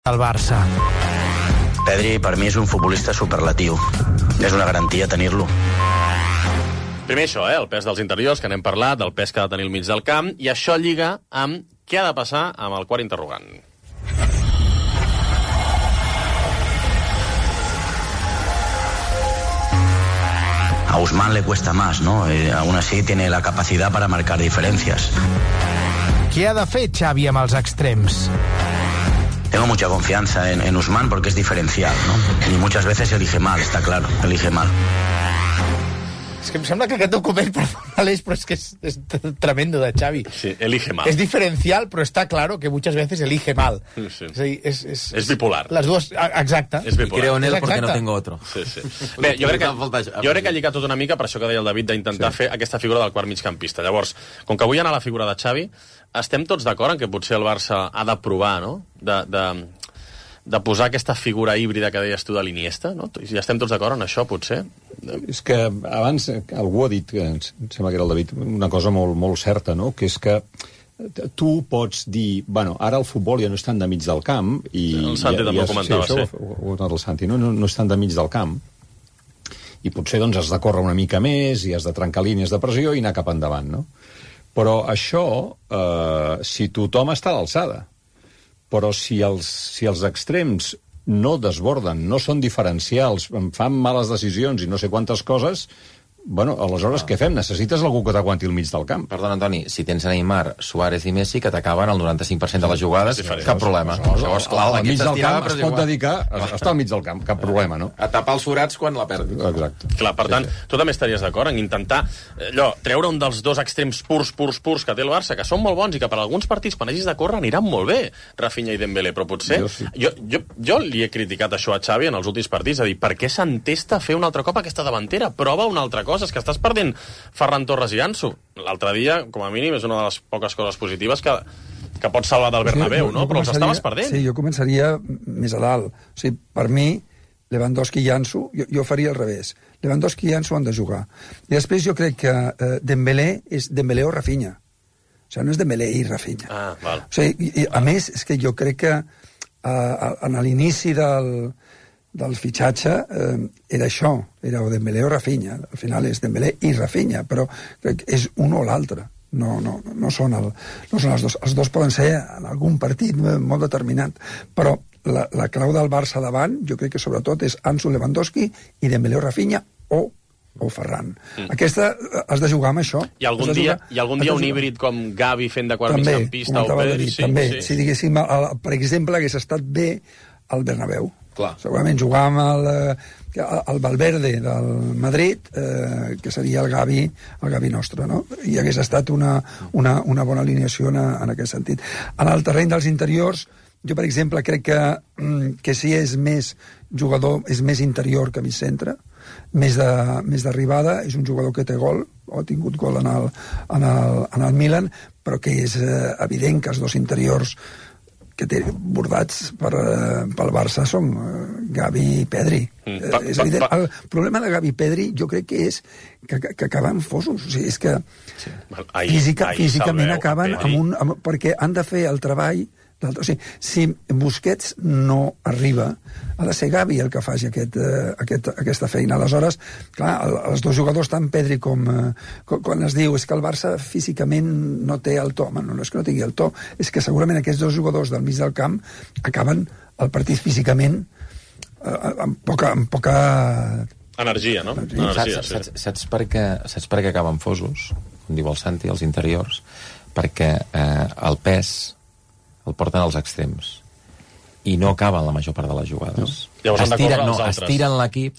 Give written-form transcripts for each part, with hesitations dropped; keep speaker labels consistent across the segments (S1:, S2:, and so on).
S1: al Barça.
S2: Pedri per mi és un futbolista superlatiu. És una garantia tenir-lo.
S3: Primer això, el pes dels interiors, que n'hem parlat, del pes que ha de tenir al mig del camp, i això lliga amb què ha de passar amb el quart interrogant.
S2: A Ousmane le cuesta más, ¿no? Aún así tiene la capacidad para marcar diferencias.
S1: Què ha de fer Xavi amb els extrems?
S2: Tengo mucha confianza en Ousmane porque es diferencial, ¿no? Y muchas veces elige mal, está claro, elige mal.
S1: És que em sembla que aquest document, perdona, Aleix, però és que és tremendo de Xavi.
S3: Sí, elige mal.
S1: És diferencial, però està claro que muchas veces elige mal.
S3: Sí.
S1: És a dir,
S3: és bipolar.
S1: Les dues, exacte.
S3: És bipolar.
S4: Y creo en él porque no tengo otro.
S3: Sí. Bé, jo crec que ha lligat tot una mica, per això que deia el David, d'intentar fer aquesta figura del quart migcampista. Llavors, com que avui hi ha la figura de Xavi, estem tots d'acord en que potser el Barça ha de provar, no?, de posar aquesta figura híbrida que deies tu de l'Iniesta, no? Ja estem tots d'acord en això, potser?
S5: És que abans algú ha dit, que em sembla que era el David, una cosa molt, molt certa, no?, que és que tu pots dir, bueno, ara el futbol ja no és tan de mig del camp, i
S3: el Santi també ho comentava,
S5: sí. Ho ha dit el Santi, no és tan de mig del camp, i potser doncs has de córrer una mica més i has de trencar línies de pressió i anar cap endavant, no? Però això, si tothom està a l'alçada, però si els extrems no desborden, no són diferencials, fan males decisions i no sé quantes coses, bueno, aleshores què fem? Necessites algú que t'aguanti al mig del camp.
S4: Perdona, Antoni, si tens Neymar, Suárez i Messi, que t'acaben el 95% de les jugades, cap problema.
S5: Al mig del camp es pot dedicar a estar al mig del camp, cap problema, no?
S4: A tapar els forats quan la perdis.
S5: Exacte.
S3: Clar, per tant, tu també estaries d'acord en intentar treure un dels dos extrems purs que té el Barça, que són molt bons i que per alguns partits, quan hagis de córrer, aniran molt bé, Rafinha i Dembélé, però potser... Jo li he criticat això a Xavi en els últims partits, a dir, per què s'entesta a fer un altre cop aquesta davantera? Prova una altra cosa, és que estàs perdent Ferran Torres i Ansu. L'altre dia, com a mínim, és una de les poques coses positives que pots salvar del Bernabéu, no? Però els estaves perdent.
S6: Sí, jo començaria més a dalt. O sigui, per mi, Lewandowski i Ansu, jo faria al revés. Lewandowski i Ansu han de jugar. I després jo crec que Dembélé és Dembélé o Rafinha. O sigui, no és Dembélé i Rafinha.
S3: Ah, val.
S6: O sigui, a més, és que jo crec que a l'inici del fitxatge era això, era o Dembélé o Rafinha. Al final és Dembélé i Rafinha, però és un o l'altre. No són els dos. Els dos poden ser en algun partit molt determinat, però la clau del Barça davant, jo crec que sobretot és Ansu, Lewandowski i Dembélé o Rafinha o Ferran. Aquesta has de jugar amb això.
S3: I algun dia un híbrid com Gavi fent de quart migcampista o Pedri.
S6: També, si diguéssim, per exemple, hagués estat bé al Bernabéu.
S4: Clar.
S6: Segurament jugar amb el Valverde del Madrid, que seria el Gavi nostre, no? I hagués estat una bona alineació en aquest sentit. En el terreny dels interiors, jo, per exemple, crec que si és més jugador, és més interior que mig centre, més d'arribada, és un jugador que té gol, o ha tingut gol en el Milan, però que és evident que els dos interiors que té bordats pel Barça són Gavi i Pedri. És evident. El problema de Gavi i Pedri jo crec que és que acaben fosos. O sigui, és que físicament acaben perquè han de fer el treball. O sigui, si Busquets no arriba, ha de ser Gavi el que faci aquesta feina. Aleshores, clar, els dos jugadors, tant Pedri com quan es diu és que el Barça físicament no té el to. No és que no tingui el to, és que segurament aquests dos jugadors del mig del camp acaben el partit físicament amb poca
S3: energia, no?
S4: Saps per què acaben fosos? Com diu el Santi, els interiors, perquè el pes el porten als extrems i no acaben la major part de les jugades.
S3: Llavors
S4: estiren l'equip,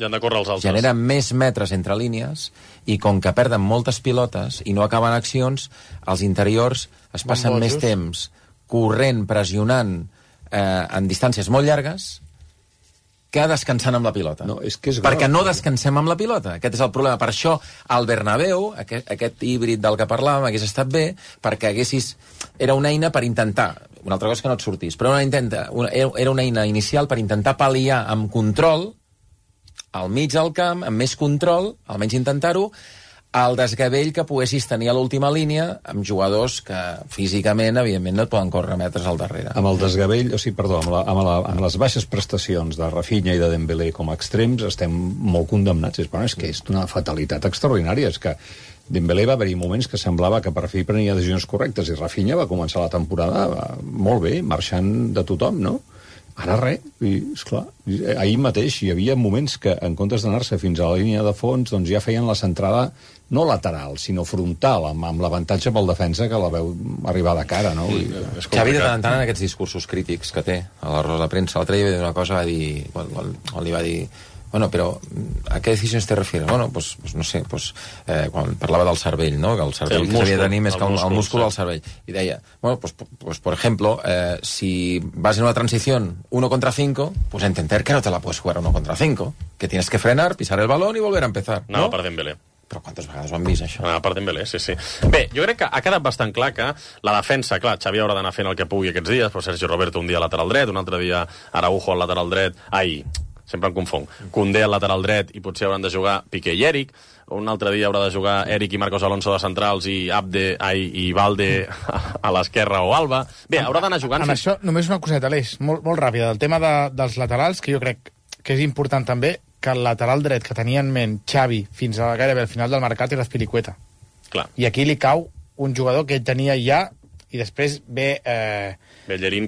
S4: generen més metres entre línies i com que perden moltes pilotes i no acaben accions, els interiors es passen més temps corrent, pressionant en distàncies molt llargues que descansant amb la pilota. Perquè no descansem amb la pilota. Aquest és el problema. Per això al Bernabéu, aquest híbrid del que parlàvem, hagués estat bé, perquè era una eina per intentar, una altra cosa que no et sortís, però era una eina inicial per intentar pal·liar amb control al mig del camp, amb més control, almenys intentar-ho, el desgavell que poguessis tenir a l'última línia amb jugadors que físicament, evidentment, no et poden córrer metres al darrere.
S5: Amb el desgavell, amb les baixes prestacions de Rafinha i de Dembélé com a extrems, estem molt condemnats. És que és una fatalitat extraordinària. És que Dembélé va haver-hi moments que semblava que per fi prenia decisions correctes i Rafinha va començar la temporada molt bé, marxant de tothom, no? Ara res, i esclar, ahir mateix hi havia moments que en comptes d'anar-se fins a la línia de fons doncs ja feien la centrada no lateral, sinó frontal, amb l'avantatge pel defensa que la veu arribar de cara, no?
S4: Xavi de tant en tant en aquests discursos crítics que té a la roda de premsa, l'altre dia va dir una cosa, li va dir bueno, però a què decisions te refieres? Bueno, pues no sé, quan parlava del cervell, no? Que el cervell que s'havia de tenir més que el múscul del cervell. I deia, bueno, pues por ejemplo, si vas en una transición 1 contra 5, pues entender que no te la puedes jugar 1 contra 5, que tienes que frenar, pisar el balón y volver a empezar.
S3: No, per Dembélé.
S4: Però quantes vegades ho han vist, això?
S3: Per Dembélé, sí. Bé, jo crec que ha quedat bastant clar que la defensa, clar, Xavi haurà d'anar fent el que pugui aquests dies, però Sergi Roberto un dia lateral dret, un altre dia Araujo al lateral dret, sempre em confong. Koundé al lateral dret i potser hauran de jugar Piqué i Eric. Un altre dia haurà de jugar Eric i Marcos Alonso de centrals i i Valde a l'esquerra o Alba. Bé, haurà d'anar jugant...
S1: Amb això, només una coseta, Aleix, molt ràpida. El tema dels laterals, que jo crec que és important també, que el lateral dret que tenia en ment Xavi fins a gairebé al final del mercat era Azpilicueta.
S3: Clar.
S1: I aquí li cau un jugador que ell tenia ja i després ve
S3: Bellerín,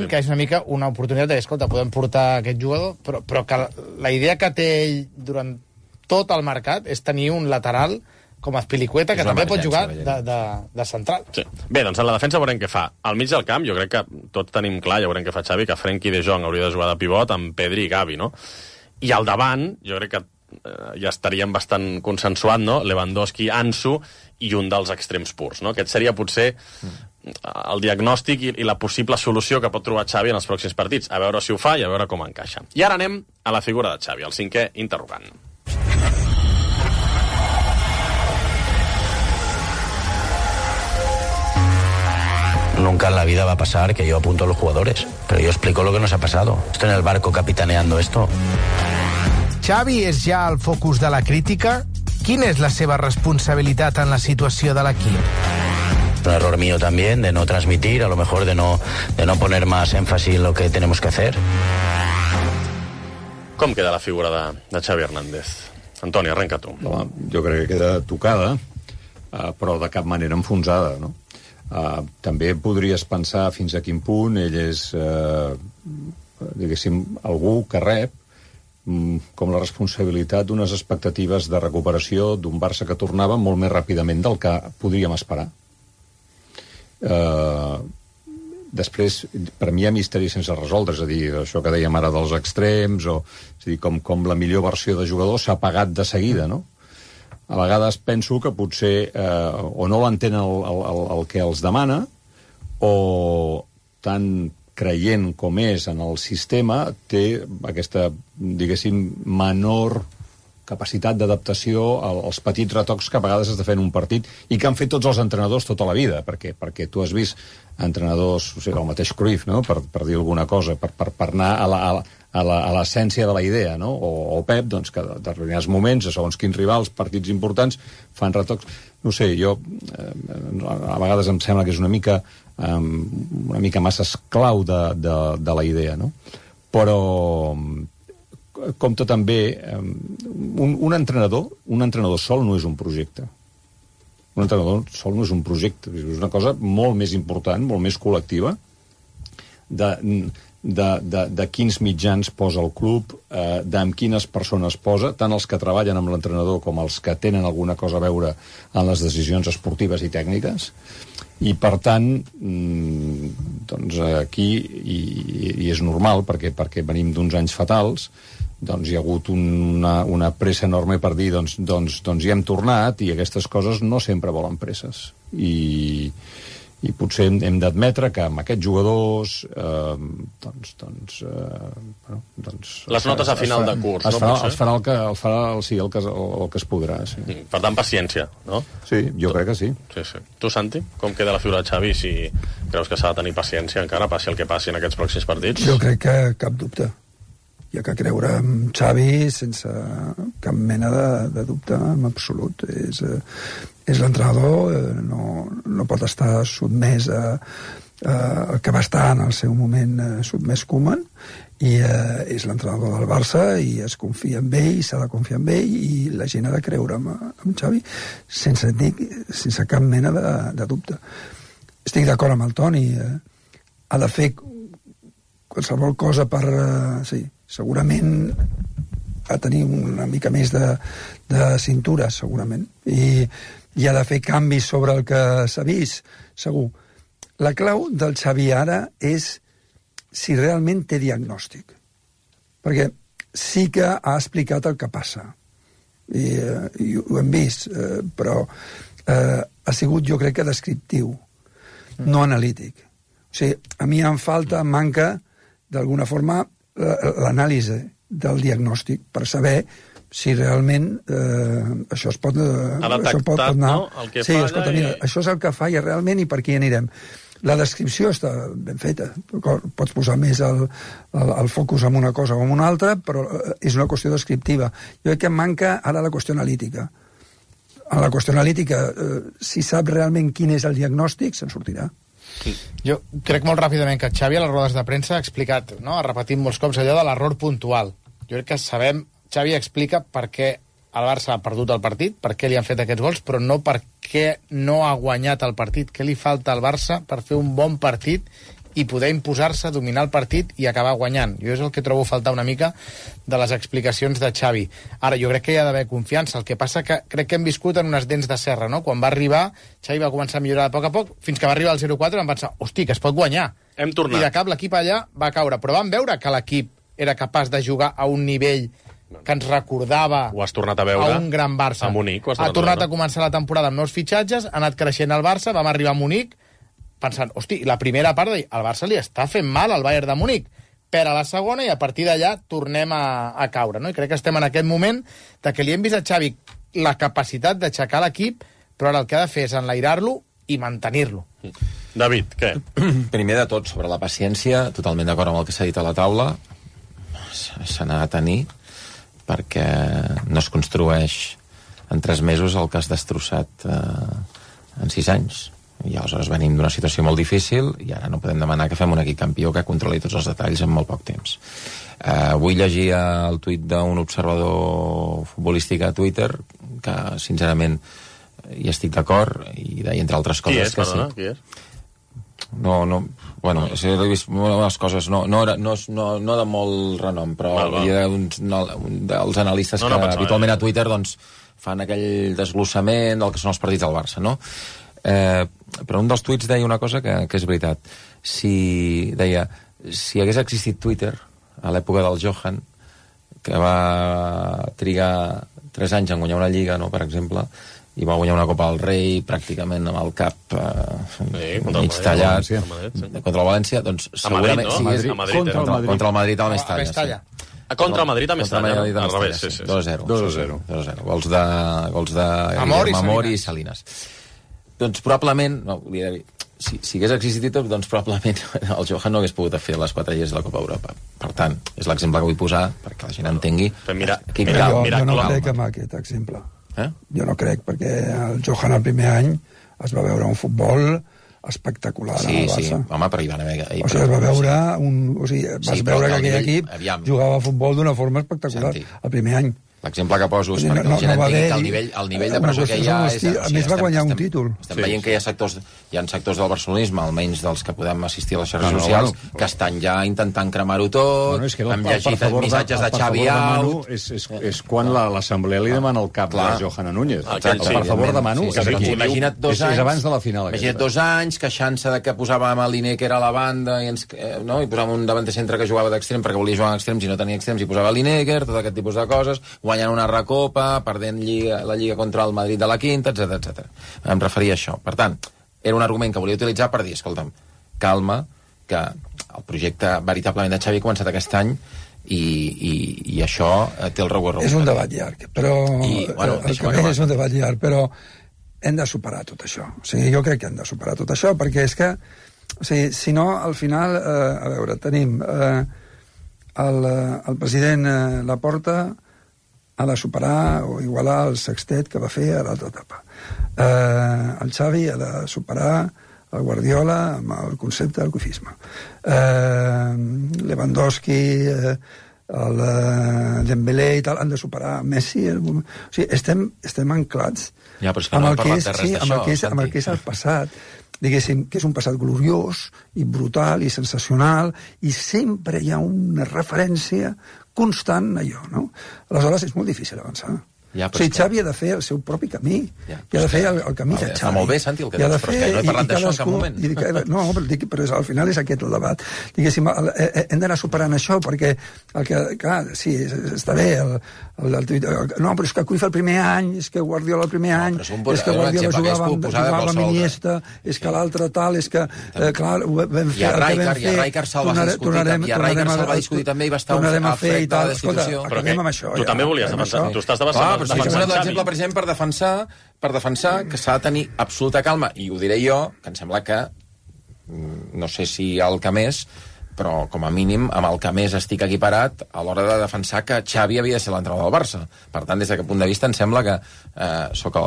S1: que és una mica una oportunitat de, escolta, podem portar aquest jugador, però que la idea que té ell durant tot el mercat és tenir un lateral com Azpilicueta, que també pot jugar de central.
S3: Sí. Bé, doncs en la defensa veurem què fa. Al mig del camp, jo crec que tots tenim clar, ja veurem què fa Xavi, que Frenkie de Jong hauria de jugar de pivot amb Pedri i Gavi, no? I al davant, jo crec que ja estaríem bastant consensuat, no? Lewandowski, Ansu i un dels extrems purs, no? Aquest seria potser el diagnòstic i la possible solució que pot trobar Xavi en els pròxims partits. A veure si ho fa i a veure com encaixa. I ara anem a la figura de Xavi, el 5è interrogant.
S2: Nunca en la vida va a pasar que yo apunto a los jugadores, pero yo explico lo que nos ha pasado. Estoy en el barco capitaneando esto.
S7: Xavi és ja el focus de la crítica? Quina és la seva responsabilitat en la situació de l'equip?
S2: Un error mío también de no transmitir, a lo mejor de no poner más énfasis en lo que tenemos que hacer.
S3: Com queda la figura de Xavi Hernández? Antoni, arrenca tu.
S5: Home, jo crec que queda tocada, però de cap manera enfonsada, no? També podries pensar fins a quin punt ell és, diguéssim, algú que rep com la responsabilitat d'unes expectatives de recuperació d'un Barça que tornava molt més ràpidament del que podríem esperar. Després, per mi hi ha misteris sense resoldre, és a dir, això que dèiem ara dels extrems, és a dir, com la millor versió de jugador s'ha pagat de seguida, no? A vegades penso que potser o no l'entén el que els demana, o tan creient com és en el sistema, té aquesta, diguéssim, menor capacitat d'adaptació als petits retocs que a vegades has de fer en un partit i que han fet tots els entrenadors tota la vida, perquè tu has vist entrenadors, o sigui, el mateix Cruyff, no? per dir alguna cosa, per anar a l'essència de la idea, no? O Pep, doncs, que en determinats moments, a segons quins rivals, partits importants, fan retocs. No sé, jo a vegades em sembla que és una mica massa esclau de la idea, no? Però compta també un entrenador sol no és un projecte. Un entrenador sol no és un projecte, és una cosa molt més important, molt més col·lectiva, de quins mitjans posa el club, d'amb quines persones posa, tant els que treballen amb l'entrenador com els que tenen alguna cosa a veure en les decisions esportives i tècniques. I, per tant, doncs aquí, i és normal, perquè venim d'uns anys fatals, doncs hi ha hagut una pressa enorme per dir doncs hi hem tornat, i aquestes coses no sempre volen presses. I potser hem d'admetre que amb aquests jugadors
S3: les notes a final de curs,
S5: no? Es farà el que es podrà, sí.
S3: Per tant, paciència, no?
S5: Sí, jo crec que sí.
S3: Sí. Tu, Santi, com queda la figura de Xavi, si creus que s'ha de tenir paciència encara, passi el que passi en aquests pròxims partits?
S6: Jo crec que cap dubte. hi ha que creure en Xavi sense cap mena de dubte en absolut. És l'entrenador, no pot estar sotmès al que va estar en el seu moment sotmès Koeman, i és l'entrenador del Barça i es confia en ell, s'ha de confiar en ell, i la gent ha de creure en Xavi sense cap mena de dubte. Estic d'acord amb el Toni, ha de fer qualsevol cosa per... sí, segurament a tenir una mica més de cintura, segurament, i ha de fer canvis sobre el que s'ha vist, segur. La clau del Xavi ara és si realment té diagnòstic, perquè sí que ha explicat el que passa, i ho hem vist, però ha sigut, jo crec que descriptiu, no analític. O sigui, a mi manca d'alguna forma l'anàlisi del diagnòstic per saber si realment això es pot anar...
S3: No? El que
S6: sí, escolta, mira, això és el que falla realment i per aquí anirem. La descripció està ben feta. Pots posar més el focus en una cosa o en una altra, però és una qüestió descriptiva. Jo crec que manca ara la qüestió analítica. En la qüestió analítica, si sap realment quin és el diagnòstic, se'n sortirà.
S1: Jo crec molt ràpidament que Xavi a les rodes de premsa ha explicat, no? Ha repetit molts cops allò de l'error puntual. Jo crec que Xavi explica per què el Barça ha perdut el partit, per què li han fet aquests gols, però no per què no ha guanyat el partit, què li falta al Barça per fer un bon partit i poder imposar-se, dominar el partit i acabar guanyant. Jo és el que trobo faltar una mica de les explicacions de Xavi. Ara, jo crec que hi ha d'haver confiança. El que passa que crec que hem viscut en unes dents de serra, no? Quan va arribar, Xavi va començar a millorar a poc, fins que va arribar al 0-4 vam pensar, hosti, que es pot guanyar.
S3: Hem tornat.
S1: I de cap l'equip allà va caure. Però vam veure que l'equip era capaç de jugar a un nivell que ens recordava
S3: ho has tornat a veure
S1: a un gran Barça.
S3: A Munic,
S1: ha tornat a començar la temporada amb nous fitxatges, ha anat creixent el Barça, vam arribar a Munic pensant, hosti, la primera part el Barça li està fent mal al Bayern de Munic, perd a la segona i a partir d'allà tornem a caure, no? I crec que estem en aquest moment de que li hem vist a Xavi la capacitat d'aixecar l'equip, però ara el que ha de fer és enlairar-lo i mantenir-lo.
S3: David, què?
S4: Primer de tot, sobre la paciència, totalment d'acord amb el que s'ha dit a la taula, se n'ha de tenir, perquè no es construeix en 3 mesos el que has destrossat en 6 anys. I aleshores venim d'una situació molt difícil i ara no podem demanar que fem un equip campió que controli tots els detalls en molt poc temps. Vull llegir el tuit d'un observador futbolístic a Twitter que, sincerament, hi estic d'acord i deia, entre altres coses...
S3: Qui és?
S4: No, bueno, he vist unes coses, no de molt renom, però dels analistes que habitualment a Twitter doncs, fan aquell desglossament del que són els partits del Barça, no? Però un dels tuits deia una cosa que és veritat. Deia, si hagués existit Twitter a l'època del Johan, que va trigar 3 anys en guanyar una lliga, no, per exemple, i va guanyar una Copa del Rei pràcticament amb el cap mig tallat contra el València, doncs segurament contra el Madrid a Mestalla.
S3: Contra el Madrid a Mestalla, al revés,
S4: 2-0. Gols de Amor i Salinas. Doncs probablement, si hagués existit, doncs probablement el Johan no hagués pogut fer les 4 lleis de la Copa Europa. Per tant, és l'exemple que vull posar perquè la gent entengui.
S6: Jo no crec en aquest exemple. Jo no crec, perquè el Johan el primer any es va veure un futbol espectacular al Barça.
S4: Sí, home, però hi van haver...
S6: O sigui, es va veure vas veure que aquell equip jugava a futbol d'una forma espectacular el primer any.
S4: L'exemple que poso és perquè la gent entengui que el nivell de pressió que hi ha...
S6: A més va guanyar un títol.
S4: Estem veient que hi ha sectors del barcelonisme, almenys dels que podem assistir a les xarxes socials, que estan ja intentant cremar-ho tot, hem llegit missatges de Xavi out...
S5: És quan l'assemblea li demana el cap de Johan Núñez.
S4: Per favor de Manu.
S5: Imagina't 2 anys. És abans de la final.
S4: Imagina't 2 anys, queixant-se de que posàvem a Lineker a la banda i posàvem un davanter centre que jugava d'extrem perquè volia jugar en extrems i no tenia extrems i posava Lineker, tot aquest tipus de coses, guanyant una recopa, perdent la Lliga contra el Madrid de la quinta, etc. Em referia a això. Per tant, era un argument que volia utilitzar per dir, escolta'm, calma, que el projecte veritablement de Xavi ha començat aquest any i això té el recorregut.
S6: És un debat llarg, però és un debat llarg, però hem de superar tot això. O sigui, jo crec que hem de superar tot això, perquè és que, o sigui, si no, al final, a veure, tenim el president Laporta ha de superar o igualar el sextet que va fer a l'altra etapa. El Xavi ha de superar el Guardiola amb el concepte del coifisme. Lewandowski, el Dembélé i tal han de superar Messi. O sigui, estem anclats amb el que és el passat, diguéssim, que és un passat gloriós i brutal i sensacional, i sempre hi ha una referència constant a allò, no? Aleshores és molt difícil avançar. O sigui, Xavi ha de fer el seu propi camí, i ha de fer el camí de Xavi.
S4: Està molt bé, Santi, el que dius, però és que no he parlat d'això en cap moment.
S6: No, però al final és aquest el debat. Diguéssim, hem d'anar superant això, perquè, clar, sí, està bé, no, però és que Cruyff el primer any, és que Guardiola el primer any, és que Guardiola jugava amb Iniesta, és que l'altre tal, és que, clar, ho vam fer...
S4: I a Rijkaard se'l va discutir també, i va estar afecte a la destitució.
S6: Però acabem amb això.
S3: Tu també volies defensar, tu estàs defensant
S4: l'exemple, per exemple, per defensar que s'ha de tenir absoluta calma, i ho diré jo, que em sembla que no sé si el que més, però com a mínim amb el que més estic equiparat a l'hora de defensar que Xavi havia de ser l'entrenador del Barça. Per tant, des d'aquest punt de vista em sembla que soc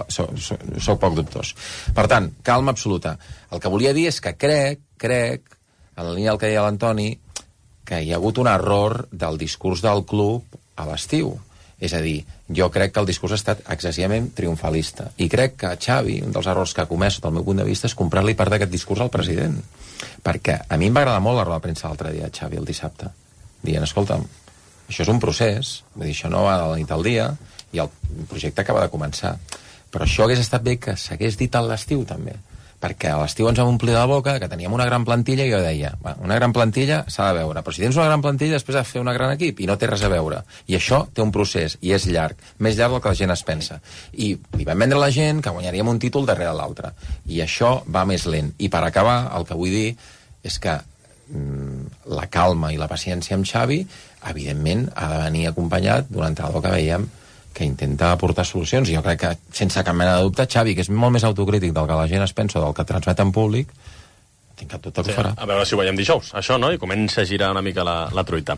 S4: poc dubtós. Per tant, calma absoluta. El que volia dir és que crec, en la línia del que deia l'Antoni, que hi ha hagut un error del discurs del club a l'estiu. És a dir, jo crec que el discurs ha estat excessivament triomfalista. I crec que Xavi, un dels errors que ha comès, sota el meu punt de vista, és comprar-li part d'aquest discurs al president. Perquè a mi em va agradar molt la roda de premsa l'altre dia, Xavi, el dissabte. Dient, escolta'm, això és un procés, vull dir, això no va de la nit al dia, i el projecte acaba de començar. Però això hagués estat bé que s'hagués dit a l'estiu, també. Perquè a l'estiu ens vam omplir la boca que teníem una gran plantilla, i jo deia, una gran plantilla s'ha de veure, però si tens una gran plantilla després has de fer un gran equip, i no té res a veure. I això té un procés, i és llarg, més llarg del que la gent es pensa. I li vam vendre a la gent que guanyaríem un títol darrere l'altre. I això va més lent. I per acabar, el que vull dir és que la calma i la paciència amb Xavi, evidentment, ha de venir acompanyat d'un entrenador que veiem que intenta aportar solucions, i jo crec que, sense cap mena de dubte, Xavi, que és molt més autocrític del que la gent es pensa o del que transmet en públic, tinc cap dubte que ho farà.
S3: A veure si ho veiem dijous, això, no? I comença a girar una mica la truita.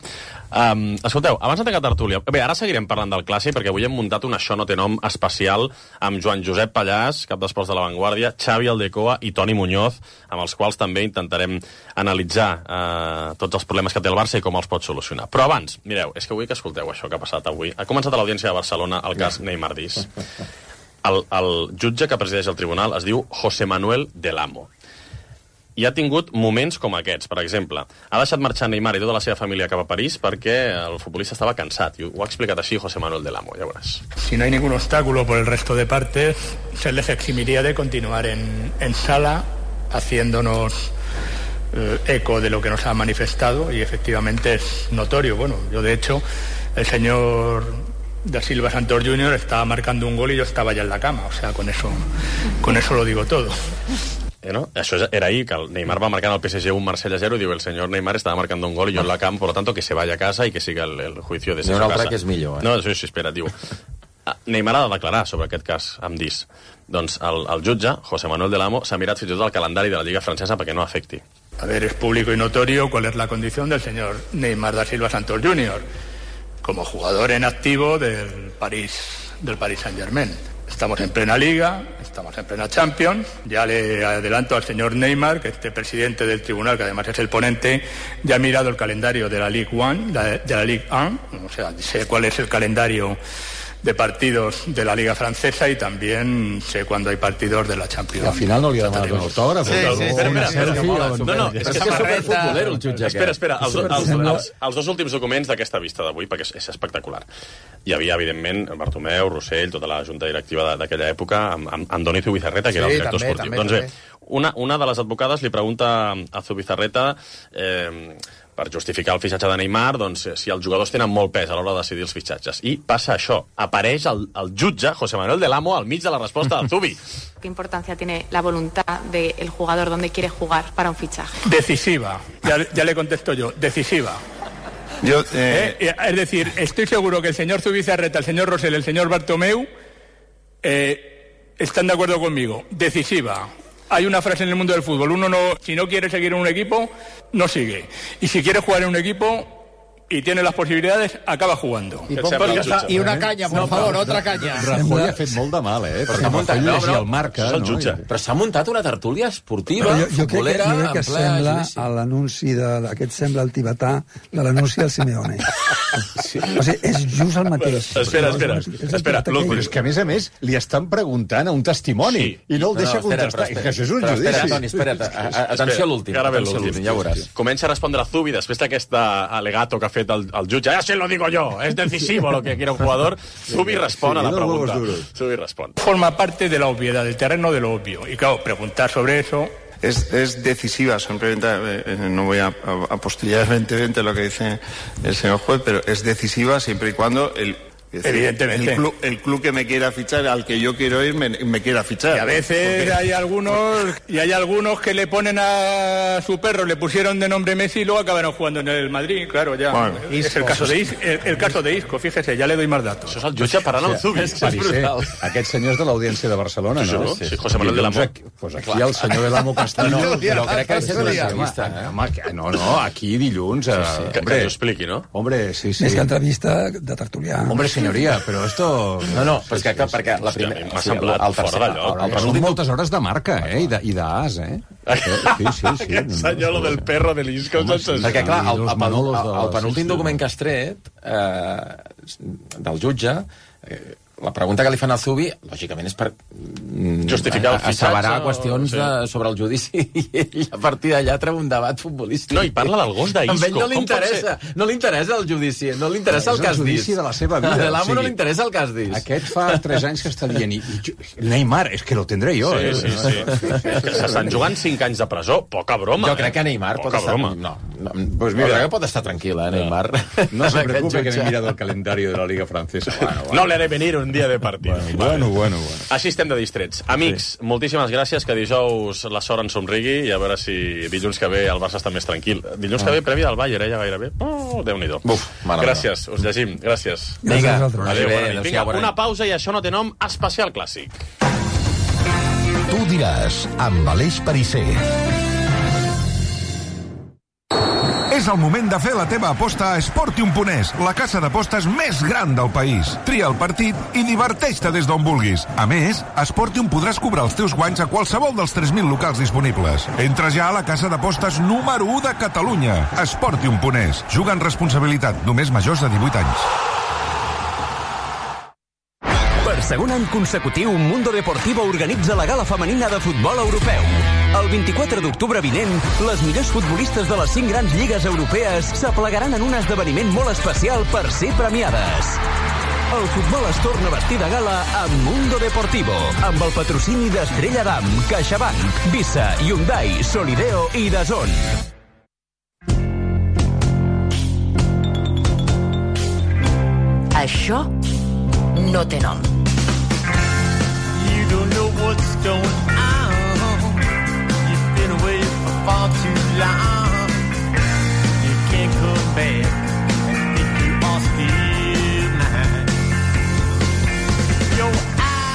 S3: Escolteu, abans de tancar tertúlia... Bé, ara seguirem parlant del clàssic, perquè avui hem muntat un Això no té nom especial amb Joan Josep Pallàs, cap d'esports de La Vanguardia, Xavi Aldecoa i Toni Muñoz, amb els quals també intentarem analitzar tots els problemes que té el Barça i com els pot solucionar. Però abans, mireu, és que vull que escolteu això que ha passat avui. Ha començat a l'Audiència de Barcelona el cas Neymar Dis. El jutge que presideix el tribunal es diu José Manuel del Amo. I ha tingut moments com aquests. Per exemple, ha deixat marxar Neymar i tota la seva família cap a París perquè el futbolista estaba cansat. I ho ha explicat així José Manuel del Amo, ja veuràs.
S8: Si no hay ningún obstáculo por el resto de partes, se les eximiría de continuar en sala haciéndonos eco de lo que nos ha manifestado, y efectivamente es notorio. Bueno, yo de hecho, el señor Da Silva Santos Jr. estaba marcando un gol y yo estaba ya en la cama. O sea, con eso lo digo todo.
S3: ¿No? Això era ahir, que el Neymar va marcar el PSG un Marsella 0 i diu el senyor Neymar estava marcando un gol y yo en la cama, por lo tanto que se vaya a casa y que siga el juicio de su casa.
S4: N'hi ha un altre que és millor,
S3: No, sí, espera, diu. Neymar ha de declarar sobre aquest cas amb Dis. Doncs el jutge, José Manuel del Amo, s'ha mirat fins i tot el calendari de la Lliga Francesa perquè no afecti.
S8: A ver, es público y notorio cuál es la condición del señor Neymar da Silva Santos Jr. como jugador en activo del Paris Saint-Germain. Estamos en plena Liga, estamos en plena Champions. Ya le adelanto al señor Neymar que este presidente del tribunal, que además es el ponente, ya ha mirado el calendario de la Ligue 1, de la Ligue 1, o sea, sé cuál es el calendario de partidos de la Liga Francesa y también sé cuándo hay partidos de la Champions.
S5: Al final no li ha demanat un autògraf.
S3: Sí, espera. No, és que és superfutbolero el jutge. Espera. Els dos últims documents d'aquesta vista d'avui, perquè és espectacular. Hi havia, evidentment, Bartomeu, Rossell, tota la junta directiva d'aquella època, amb Andoni Zubizarreta, que era el director esportiu. Doncs bé, una de les advocades li pregunta a Zubizarreta per justificar el fitxatge de Neymar, doncs, si els jugadors tenen molt pes a l'hora de decidir els fitxatges. I passa això. Apareix el jutge, José Manuel del Amo, al mig de la resposta de Zubi.
S9: ¿Qué importancia tiene la voluntad del jugador donde quiere jugar para un fichaje?
S8: Decisiva. Ya le contesto yo. Decisiva. Es decir, estoy seguro que el señor Zubizarreta, el señor Rosell, el señor Bartomeu están de acuerdo conmigo. Decisiva. Hay una frase en el mundo del fútbol: uno no, si no quiere seguir en un equipo, no sigue. Y si quiere jugar en un equipo, y tiene las posibilidades, acaba jugando.
S1: I una canya, por favor, otra canya.
S5: Rajoy ha fet molt de mal, perquè Rajoy llegia el Marca.
S4: Però s'ha muntat una tertúlia esportiva, futbolera,
S6: jo crec que sembla a l'anunci aquest sembla el tibetà de l'anunci del Simeone. O sigui, és just el mateix.
S3: Espera.
S5: Però és que, a més, li estan preguntant a un testimoni i no el deixa contestar. És que això és un judici.
S4: Espera, Toni, espera't. Atenció a l'últim, ja veuràs.
S3: Comença a respondre a Zubi després d'aquest alegato que ha fet el jutge. Ya se lo digo yo, es decisivo lo que quiere un jugador. Zubi respon a la pregunta. Zubi respon.
S8: Forma parte de la obviedad, del terreno de lo obvio. Y claro, preguntar sobre eso...
S10: Es decisiva, simplemente no voy a apostillar evidentemente lo que dice el señor juez, pero es decisiva siempre y cuando
S8: evidentemente
S10: el club que me quiera fichar, al que yo quiero ir, me quiera fichar.
S8: Y a veces hay algunos que le ponen a su perro, le pusieron de nombre Messi y luego acabaron jugando en el Madrid, claro, ya. Bueno, es el caso de Isco, fíjese, ja le doy más datos.
S3: Això és el jutge parlant amb Zubi.
S5: Aquest senyor és de l'Audiència de Barcelona, no?
S3: Sí, José Manuel de l'Amo.
S5: Pues aquí el senyor de l'Amo Castelló.
S4: Però crec que és una entrevista.
S5: No, aquí dilluns...
S3: Que ho expliqui, no?
S5: Hombre, sí.
S6: Més que entrevista de tertulià.
S5: Hombre, señoría, però esto...
S4: No, però és que perquè la primera...
S3: M'ha semblat fora d'allò.
S5: Són moltes hores de Marca, i d'as, Sí.
S3: Aquest senyor, lo del perro de l'Isco...
S4: Perquè, clar, el penúltim document que has tret del jutge... La pregunta que li fan al Zubi, lògicament, és per
S3: justificar el fitxatge,
S4: asseverar qüestions sobre el judici i ell a partir d'allà treu un debat futbolístic.
S3: No, i parla del gos d'Isco.
S4: A ell no li interessa el judici, no li interessa el que has dit.
S5: És el judici de la seva vida.
S4: A l'Amo no li interessa el que has dit.
S5: Aquest fa 3 anys que està dient Neymar, és que lo tendré jo.
S3: Sí. S'estan jugant 5 anys de presó, poca broma.
S4: Jo crec que Neymar pot estar... No, pues mira, que pot estar tranquil, Neymar.
S5: No se preocupe que me he mirado el calendario de la Liga Francesa.
S3: No le haré venir un dia de partit.
S5: Bueno.
S3: Així estem de distrets. Amics, moltíssimes gràcies, que dijous la sort ens somrigui i a veure si dilluns que ve el Barça està més tranquil. Dilluns que ve prèvia del Bayern, ja gairebé. Déu-n'hi-do. Gràcies, us llegim. Gràcies.
S6: Vinga,
S3: adéu, vinga, una pausa i això no té nom, especial clàssic.
S7: Tu diràs, amb Aleix Perisser.
S11: És el moment de fer la teva aposta a Sportium.es, la casa d'apostes més gran del país. Tria el partit i diverteix-te des d'on vulguis. A més, a Sportium podràs cobrar els teus guanys a qualsevol dels 3.000 locals disponibles. Entra ja a la casa d'apostes número 1 de Catalunya. Sportium.es. Juga amb responsabilitat, només majors de 18 anys.
S12: Per segon any consecutiu, Mundo Deportivo organitza la gala femenina de futbol europeu. El 24 d'octubre vinent, les millors futbolistes de les 5 grans lligues europees s'aplegaran en un esdeveniment molt especial per ser premiades. El futbol es torna a vestir de gala amb Mundo Deportivo, amb el patrocini d'Estrella Damm, CaixaBank, Visa, Hyundai, Solideo i DAZN.
S13: Això no té nom. You don't know what's going on. You've been away for far too long. You can't come back and think you are still mine.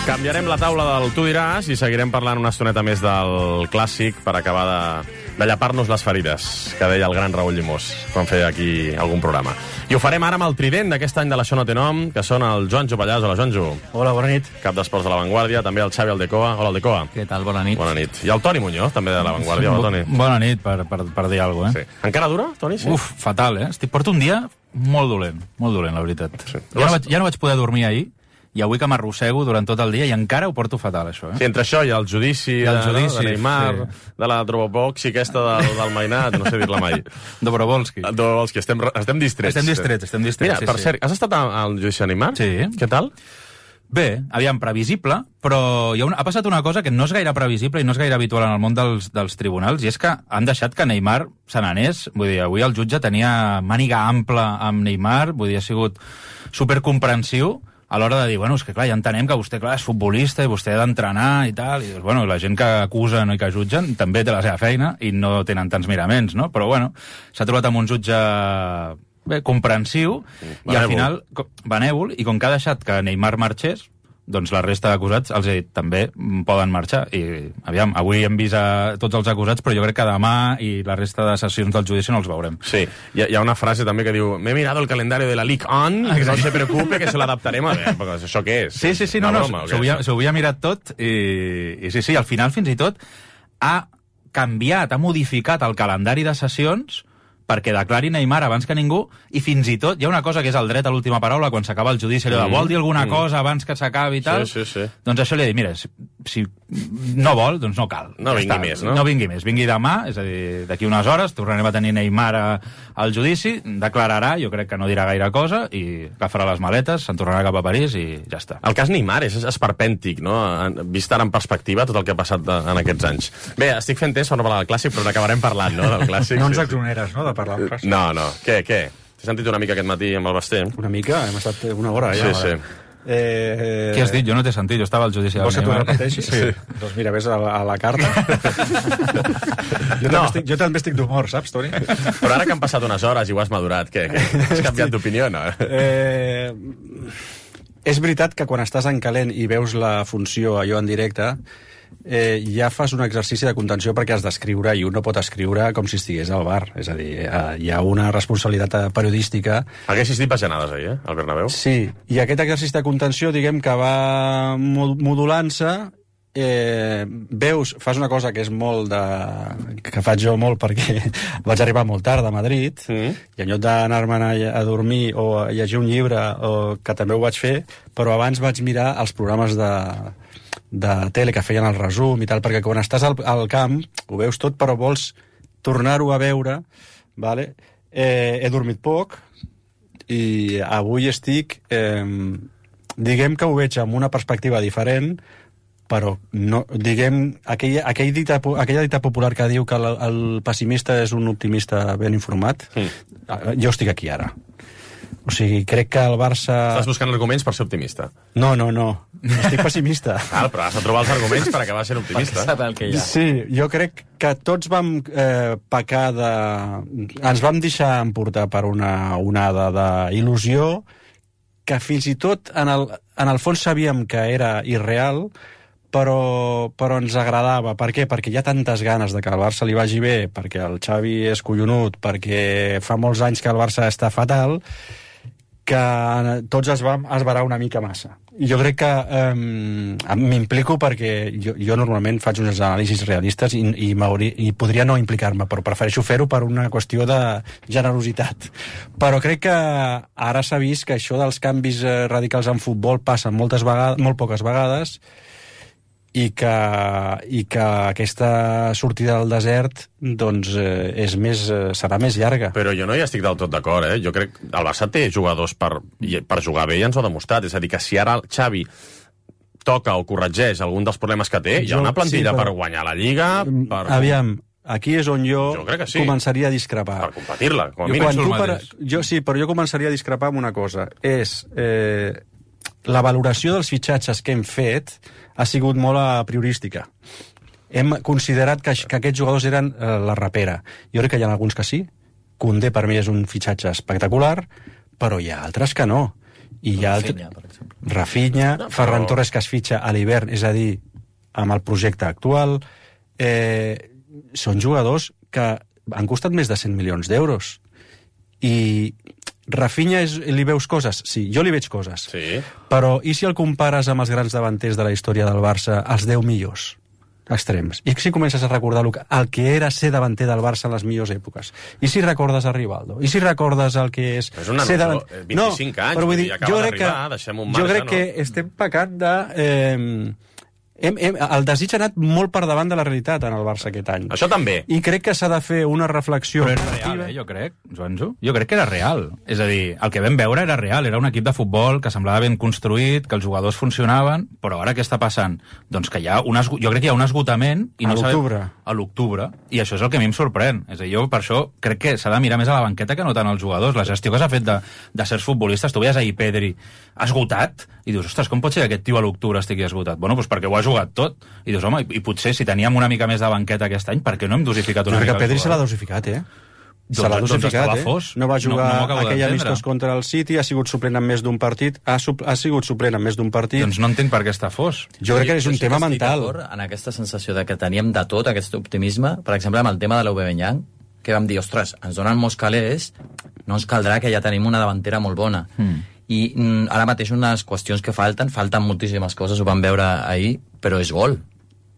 S3: Canviarem la taula del Tu diràs i seguirem parlant una estoneta més del clàssic per acabar de llapar-nos les ferides, que deia el gran Raül Llimós quan feia aquí algun programa. I ho farem ara amb el trident d'aquest any de l'Això no té nom, que són el Joanjo Pallàs. Hola, Joanjo.
S14: Hola, bona nit.
S3: Cap d'Esports de La Vanguardia, també el Xavi Aldecoa. Hola, Aldecoa.
S14: Què tal? Bona nit.
S3: Bona nit. I el Toni Muñoz, també de La Vanguardia. Hola, Toni.
S14: Bona nit, per dir alguna cosa,
S3: Sí. Encara dura, Toni? Sí.
S14: Fatal, Porto un dia molt dolent, la veritat. Sí. Ja no vaig poder dormir ahir, i avui que m'arrossego durant tot el dia i encara ho porto fatal, això.
S3: Sí, entre això i el judici, de Neymar, de la Droboboxi aquesta del Mainat, no sé dir-la mai.
S14: Dobrovolski.
S3: Estem distrets.
S14: Estem distrets.
S3: Mira, per cert, has estat al judici de Neymar?
S14: Sí.
S3: Què tal?
S14: Bé, aviam, previsible, però ha passat una cosa que no és gaire previsible i no és gaire habitual en el món dels tribunals, i és que han deixat que Neymar se n'anés. Vull dir, avui el jutge tenia màniga ampla amb Neymar, vull dir, ha sigut supercomprensiu a l'hora de dir, bueno, és que clar, ja entenem que vostè, clar, és futbolista i vostè ha d'entrenar i tal, i bueno, la gent que acusen i que jutgen també té la seva feina i no tenen tants miraments, no? Però bueno, s'ha trobat amb un jutge comprensiu i al final, benèvol, i com que ha deixat que Neymar marxés, doncs la resta d'acusats els he dit també poden marxar. I, aviam, avui hem vist a tots els acusats, però jo crec que demà i la resta de sessions del judici no els veurem.
S3: Sí, hi ha una frase també que diu m'he mirado el calendario de la Ligue 1, que no se preocupe, que se l'adaptarem a veure. Això què és?
S14: Sí, no, s'ho havia mirat tot i sí, al final fins i tot ha canviat, ha modificat el calendari de sessions perquè declari Neymar abans que ningú, i fins i tot hi ha una cosa que és el dret a l'última paraula quan s'acaba el judici, allò de vol dir alguna cosa abans que s'acabi i tal,
S3: sí.
S14: Doncs això li he dit, mira, si no vol, doncs no cal.
S3: No vingui més, no?
S14: No vingui més, vingui demà, és a dir, d'aquí unes hores tornarem a tenir Neymar al judici, declararà, jo crec que no dirà gaire cosa, i agafarà les maletes, se'n tornarà cap a París i ja està.
S3: El cas Neymar és esperpèntic, no? Vist ara en perspectiva tot el que ha passat en aquests anys. Bé, estic fent temps per no parlar del clàssic, però n'acabarem parlant, no?, del clàssic.
S15: No ens exoneres, no?, de parlar del clàssic.
S3: No. Què? T'he sentit una mica aquest matí amb el Basté?
S15: Una mica? Hem estat una hora, ja.
S3: Sí.
S14: Què has dit? Jo no t'he sentit, jo estava al judici.
S15: Vols que t'ho repeteixi? Sí. Doncs mira, ves a la carta. Jo també estic d'humor, saps, Toni?
S3: Però ara que han passat unes hores i ho has madurat, què? Has canviat d'opinió, no?
S15: És veritat que quan estàs en calent i veus la funció allò en directe, ja fas un exercici de contenció perquè has d'escriure, i un no pot escriure com si estigués al bar. És a dir, hi ha una responsabilitat periodística.
S3: Haguessis dit bajanades ahir, al Bernabéu?
S15: Sí, i aquest exercici de contenció, diguem que va modulant-se, fas una cosa que és molt que faig jo molt perquè vaig arribar molt tard a Madrid, i en lloc d'anar-me'n a dormir o a llegir un llibre, que també ho vaig fer, però abans vaig mirar els programes de tele que feien el resum i tal, perquè quan estàs al camp ho veus tot, però vols tornar-ho a veure, vale? He dormit poc i avui estic diguem que ho veig amb una perspectiva diferent, però no, diguem, aquella dita popular que diu que el pessimista és un optimista ben informat, jo estic aquí ara. O sigui, crec que el Barça...
S3: Estàs buscant arguments per ser optimista.
S15: No. Estic pessimista.
S3: Però has de trobar els arguments per acabar sent optimista.
S15: Sí, jo crec que tots vam pecar de... Ens vam deixar emportar per una onada d'il·lusió que fins i tot en el fons sabíem que era irreal, però ens agradava. Per què? Perquè hi ha tantes ganes de que el Barça li vagi bé, perquè el Xavi és collonut, perquè fa molts anys que el Barça està fatal, que tots es vam esverar una mica massa. I jo crec que m'implico perquè jo normalment faig unes anàlisis realistes i podria no implicar-me, però prefereixo fer-ho per una qüestió de generositat. Però crec que ara s'ha vist que això dels canvis radicals en futbol passa molt poques vegades, i que aquesta sortida del desert doncs serà més llarga.
S3: Però jo no hi estic del tot d'acord, Jo crec que el Barça té jugadors per jugar bé, i ens ho ha demostrat. És a dir, que si ara el Xavi toca o corregeix algun dels problemes que té, hi ha una plantilla per guanyar la Lliga...
S15: Aviam, aquí és on jo començaria a discrepar.
S3: Per competir-la, com a mínim.
S15: Sí, però jo començaria a discrepar amb una cosa. És la valoració dels fitxatges que hem fet ha sigut molt priorística. Hem considerat que aquests jugadors eren la rapera. Jo crec que hi ha alguns que sí. Koundé per mi és un fitxatge espectacular, però hi ha altres que no. I hi ha
S4: Rafinha, per exemple.
S15: Rafinha, Ferran Torres, que es fitxa a l'hivern, és a dir, amb el projecte actual. Són jugadors que han costat més de 100 milions d'euros. I Rafinha li veus coses? Sí, jo li veig coses.
S3: Sí.
S15: Però i si el compares amb els grans davanters de la història del Barça, els 10 millors extrems? I si comences a recordar el que era ser davanter del Barça en les millors èpoques? I si recordes a Rivaldo? I si recordes el que és...
S3: És una noció, 25 anys,
S15: però vull dir,
S3: acaba d'arribar, deixem un marge,
S15: jo crec que estem pecant de... el desig ha anat molt per davant de la realitat en el Barça aquest any.
S3: Això també.
S15: I crec que s'ha de fer una reflexió...
S14: Però era real, jo crec, Joanjo. Jo crec que era real. És a dir, el que vam veure era real. Era un equip de futbol que semblava ben construït, que els jugadors funcionaven, però ara què està passant? Doncs que jo crec que hi ha un esgotament... I no a l'octubre. I això és el que a mi em sorprèn. És a dir, jo per això crec que s'ha de mirar més a la banqueta que no tant als jugadors. La gestió que s'ha fet de certs futbolistes, tu veies ahir Pedri esgotat, i dius, ostres, com pot ser que aquest tio a l'octubre estigui esgotat? Bueno, doncs perquè ho ha jugat tot. I dius, home, i potser si teníem una mica més de banqueta aquest any, per què no hem dosificat una mica?
S15: Perquè Pedri se l'ha dosificat, Se l'ha dosificat, no va jugar aquell
S14: d'entendre.
S15: amistós contra el City, ha sigut suplent en més d'un partit, ha sigut suplent en més d'un partit.
S14: Doncs no entenc per què està fos.
S15: Jo crec que és un tema mental.
S16: En aquesta sensació de que teníem de tot, aquest optimisme, per exemple, amb el tema de l'Aubameyang, que vam dir, ostres, ens donen molts calés, no ens caldrà, que ja tenim una davantera molt bona. I ara mateix unes qüestions que falten moltíssimes coses, ho vam veure ahir, però és gol.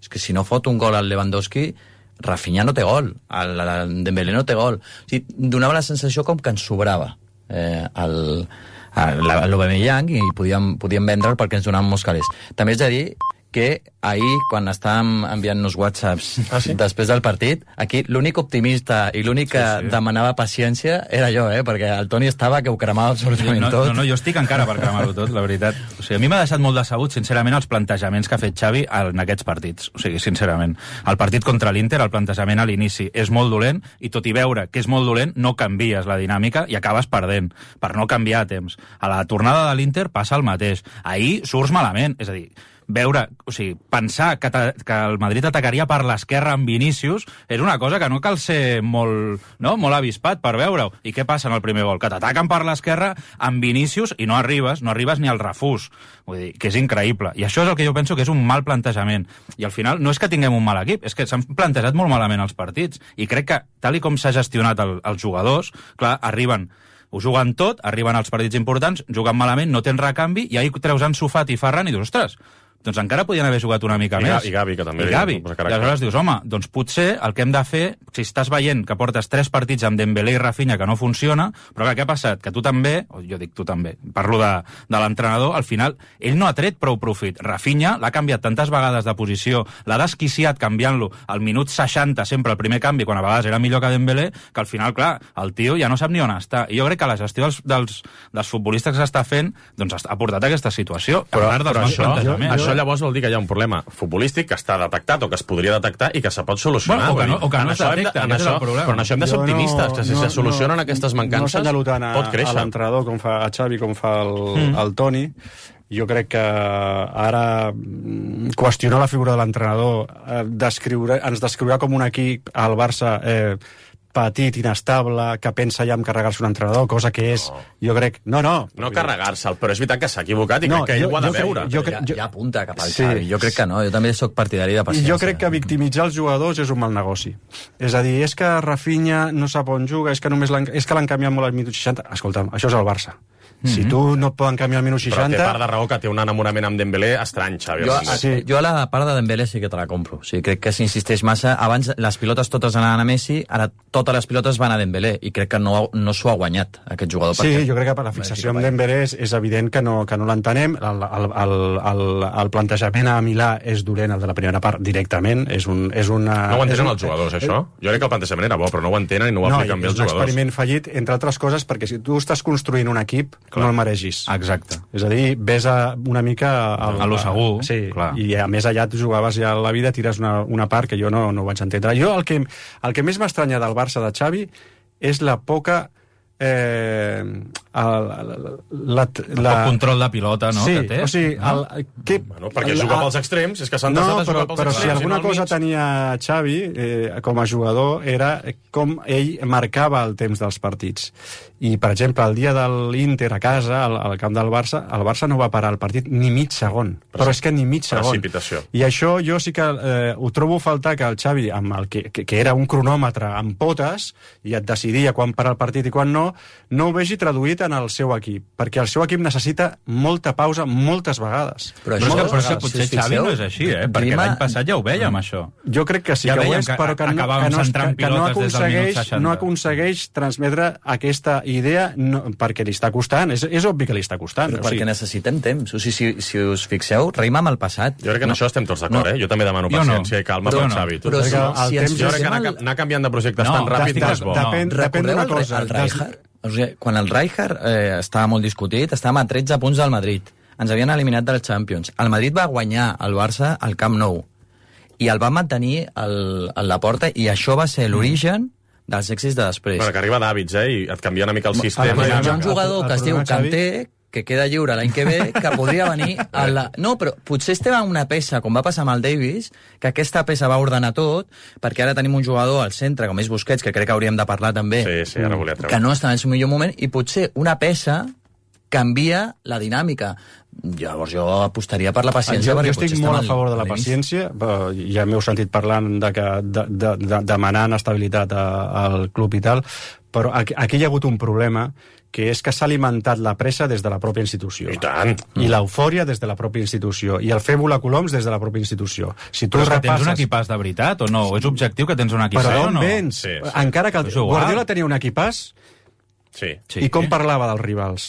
S16: És que si no fot un gol al Lewandowski, Rafinha no té gol, el Dembélé no té gol. O sigui, donava la sensació com que ens sobrava l'Aubameyang i podíem vendre'l perquè ens donaven molts calés. També és de dir que ahir, quan estàvem enviant-nos whatsapps després del partit, aquí l'únic optimista i l'únic que demanava paciència era jo, perquè el Toni estava que ho cremava absolutament tot.
S14: No, jo estic encara per cremar-ho tot, la veritat. O sigui, a mi m'ha deixat molt decebut, sincerament, els plantejaments que ha fet Xavi en aquests partits. O sigui, sincerament. El partit contra l'Inter, el plantejament a l'inici és molt dolent, i tot i veure que és molt dolent, no canvies la dinàmica i acabes perdent, per no canviar a temps. A la tornada de l'Inter passa el mateix. Ahir surts malament, és a dir, pensar que el Madrid atacaria per l'esquerra amb Vinícius és una cosa que no cal ser molt avispat per veure-ho. I què passa en el primer gol? Que t'ataquen per l'esquerra amb Vinícius i no arribes ni al refús. Vull dir, que és increïble. I això és el que jo penso que és un mal plantejament. I al final no és que tinguem un mal equip, és que s'han plantejat molt malament els partits. I crec que, tal i com s'ha gestionat els jugadors, clar, ho juguen tot, arriben als partits importants, juguen malament, no tens recanvi, i ahir treus Ansu Fati i Ferran i dius, ostres, doncs encara podien haver jugat una mica més.
S3: I Gavi, que també.
S14: I aleshores dius, home, doncs potser el que hem de fer, si estàs veient que portes 3 partits amb Dembélé i Rafinha que no funciona, però què ha passat? Que tu també, jo dic tu també, parlo de l'entrenador, al final, ell no ha tret prou profit. Rafinha l'ha canviat tantes vegades de posició, l'ha desquiciat canviant-lo al minut 60, sempre el primer canvi, quan a vegades era millor que Dembélé, que al final, clar, el tio ja no sap ni on està. I jo crec que la gestió dels futbolistes que s'està fent doncs ha portat a aquesta situació.
S3: Però això llavors vol dir que hi ha un problema futbolístic que està detectat o que es podria detectar i que se pot solucionar.
S14: O que no es detecta, aquest és el problema.
S3: Però en això hem de ser optimistes, que si se solucionen aquestes mancances, pot créixer.
S15: A l'entrenador, com fa a Xavi, com fa el Toni. Jo crec que ara qüestionar la figura de l'entrenador ens descriurà com un equip al Barça petit, inestable, que pensa ja en carregar-se un entrenador, cosa que és, jo crec... No
S3: carregar-se'l, però és veritat que s'ha equivocat i crec que ell ho ha de veure.
S16: Ja apunta cap al Xavi, jo crec que no, jo també sóc partidari de paciència.
S15: Jo crec que victimitzar els jugadors és un mal negoci. És a dir, és que Rafinha no sap on juga, és que l'han canviat molt al minut 60. Escolta'm, això és el Barça. Si tu no et poden canviar al minut 60...
S3: Però té part de raó que té un enamorament amb Dembélé estrany, Xavi.
S16: Jo a la part de Dembélé sí que te la compro. Sí, crec que s'insisteix massa. Abans les pilotes totes anaven a Messi, ara totes les pilotes van a Dembélé, i crec que no s'ho ha guanyat, aquest jugador.
S15: Sí, jo crec que per la fixació amb Dembélé és evident que no l'entenem. El plantejament a Milà és dolent, el de la primera part, directament.
S3: No ho entenen els jugadors, això? Jo crec que el plantejament era bo, però no ho entenen i no ho apliquen bé els jugadors.
S15: És un experiment fallit, entre altres coses, perquè si tu estàs construint un equip, no el mereixis.
S14: Exacte.
S15: És a dir, ves una mica...
S14: A lo segur.
S15: Sí, clar. I a més allà tu jugaves ja a la vida, tires una part que jo no vaig entendre. Jo el que més m'estranya del Barça de Xavi és la poca...
S14: el control de pilota, no?
S15: Sí,
S14: que té.
S15: O sigui...
S3: perquè juga pels extrems, és que s'han desat a jugar pels extrems.
S15: Però si alguna cosa tenia Xavi com a jugador era com ell marcava el temps dels partits. I, per exemple, el dia de l'Inter a casa, al camp del Barça, el Barça no va parar el partit ni mig segon. Però és que ni mig segon.
S3: Precipitació.
S15: I això jo sí que ho trobo a faltar, que el Xavi, amb el que era un cronòmetre amb potes, i et decidia quan parar el partit i quan no ho vegi traduït en el seu equip. Perquè el seu equip necessita molta pausa moltes vegades.
S14: Però és que potser Xavi no és així, perquè l'any passat ja ho vèiem, això.
S15: Jo crec que sí que ho és, però que no aconsegueix transmetre aquesta idea, perquè li està costant. És obvi que li està costant.
S16: Però perquè necessitem temps. O sigui, si us fixeu, reim amb el passat.
S3: Jo crec que en això estem tots d'acord, Jo també demano paciència i calma per Xavi.
S16: Però
S3: jo crec que anar canviant de projectes tan ràpid no és bo.
S15: Depèn d'una cosa.
S16: Quan el Rijkaard estava molt discutit, estàvem a 13 punts del Madrid. Ens havien eliminat del Champions. El Madrid va guanyar el Barça al Camp Nou i el va mantenir a la porta, i això va ser l'origen dels èxits de després.
S3: Bueno, que arriba d'hàbits, i et canvia una mica el sistema.
S16: Hi ha un jugador que es diu Kanté, que queda lliure l'any que ve, que podria venir a la... No, però potser estem en una peça, com va passar amb el Davis, que aquesta peça va ordenar tot, perquè ara tenim un jugador al centre, com és Busquets, que crec que hauríem de parlar també,
S3: sí, ara volia treure.
S16: Que no està en el seu millor moment, i potser una peça canvia la dinàmica. Llavors jo apostaria per la paciència.
S15: Jo estic molt a favor de la paciència, ja m'heu sentit parlant de demanant estabilitat al club i tal, però aquí hi ha hagut un problema, que és que s'ha alimentat la pressa des de la pròpia institució.
S3: I tant!
S15: I l'eufòria des de la pròpia institució. I el fer volar coloms des de la pròpia institució. Si tu
S14: però és que tens un equipàs de veritat o no? És objectiu que tens un equipàs
S15: o
S14: no?
S15: Però d'on vens? Sí. Encara que Guardiola tenia un equipàs,
S3: sí.
S15: I com parlava dels rivals?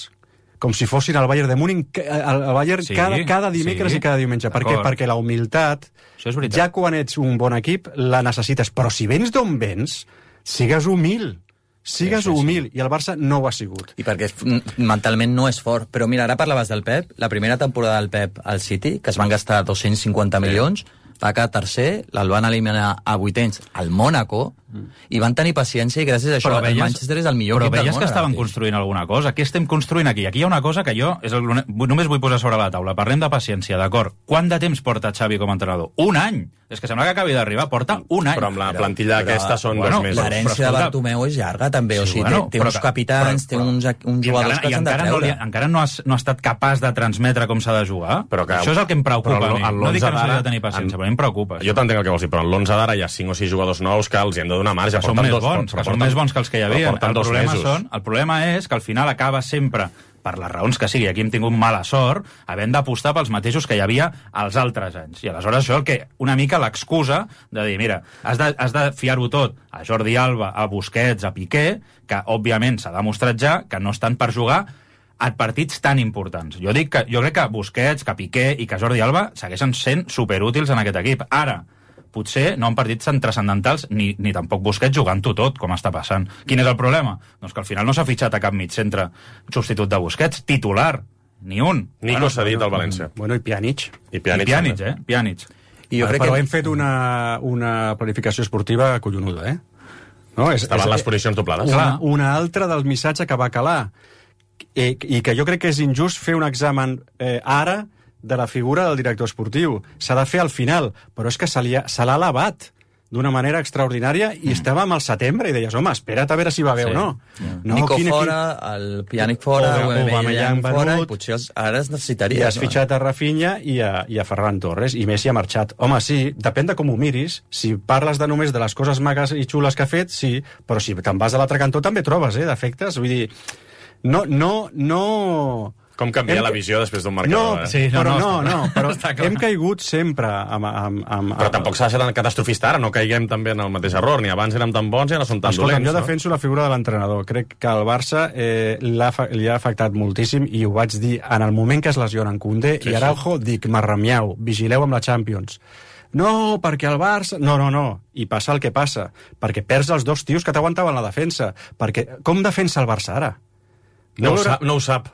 S15: Com si fossin el Bayern de Múnich, el Bayern cada dimecres i cada diumenge. Per què? Perquè la humilitat, ja quan ets un bon equip, la necessites. Però si vens d'on vens, sigues humil. Sigues humil, i el Barça no ho ha sigut.
S16: I perquè mentalment no és fort. Però mira, ara parlaves del Pep, la primera temporada del Pep al City, que es van gastar 250 milions, va quedar tercer, el van eliminar a vuitens al Mònaco, i van tenir paciència, i gràcies a això el Manchester és el millor equip del món.
S14: Però veies que estaven construint alguna cosa. Què estem construint aquí? Aquí hi ha una cosa que jo només vull posar sobre la taula. Parlem de paciència, d'acord. Quant de temps porta Xavi com a entrenador? Un any! És que sembla que acabi d'arribar. Porta un any.
S3: Però amb la plantilla aquesta són 2 mesos.
S16: L'herència de Bartomeu és llarga, també. O sigui, té uns capitans, té uns jugadors que s'han de treure.
S14: Encara no ha estat capaç de transmetre com s'ha de jugar. Això és el que em preocupa a mi. No dic que no s'ha de tenir paciència, però em preocupa.
S3: Jo t'entenc el que vols dir, però en l'11 d'ara hi ha 5 o 6 jugadors nous que els hi hem de donar marge.
S14: Són més bons que els que hi havia. El problema és que al final acaba sempre, per les raons que sigui, aquí hem tingut mala sort, havent d'apostar pels mateixos que hi havia als altres anys. I aleshores això que una mica l'excusa de dir, mira, has de fiar-ho tot a Jordi Alba, a Busquets, a Piqué, que òbviament s'ha demostrat ja que no estan per jugar a partits tan importants. Jo crec que Busquets, que Piqué i que Jordi Alba segueixen sent superútils en aquest equip. Ara, potser no en partits tan transcendentals ni tampoc Busquets jugant-ho tot, com està passant. Quin és el problema? Doncs que al final no s'ha fitxat a cap mig-centre substitut de Busquets, titular, ni un.
S3: Nico s'ha dit al València.
S15: Bueno, i Pjanic.
S14: Pjanic.
S15: I jo crec que hem fet una planificació esportiva collonuda, No?
S3: Estaven les posicions doblades.
S15: Una altra del missatge que va calar, i que jo crec que és injust fer un examen ara de la figura del director esportiu. S'ha de fer al final, però és que se l'ha elevat d'una manera extraordinària i estàvem al setembre i deies, home, espera't a veure si va bé o no.
S16: Nico fora, el Pjanic fora, Aubameyang fora, i potser ara es necessitaria.
S15: I has fitxat a Rafinha i a Ferran Torres, i Messi ha marxat. Home, sí, depèn de com ho miris. Si parles només de les coses magues i xules que ha fet, sí, però si te'n vas a l'altre cantó també trobes, defectes. Vull dir, no...
S3: Com canvia la visió després d'un marcador,
S15: però hem caigut sempre
S3: Però tampoc s'ha de ser tan catastrofista ara, no caiguem també en el mateix error, ni abans érem tan bons i ara són tan dolents.
S15: Jo defenso la figura de l'entrenador. Crec que al Barça li ha afectat moltíssim, i ho vaig dir en el moment que es lesionen Koundé i Araujo, dic, marramiau, vigileu amb la Champions. No, perquè el Barça... No. I passa el que passa. Perquè perds els dos tios que t'aguantaven la defensa. Perquè com defensa el Barça ara?
S3: No ho sap.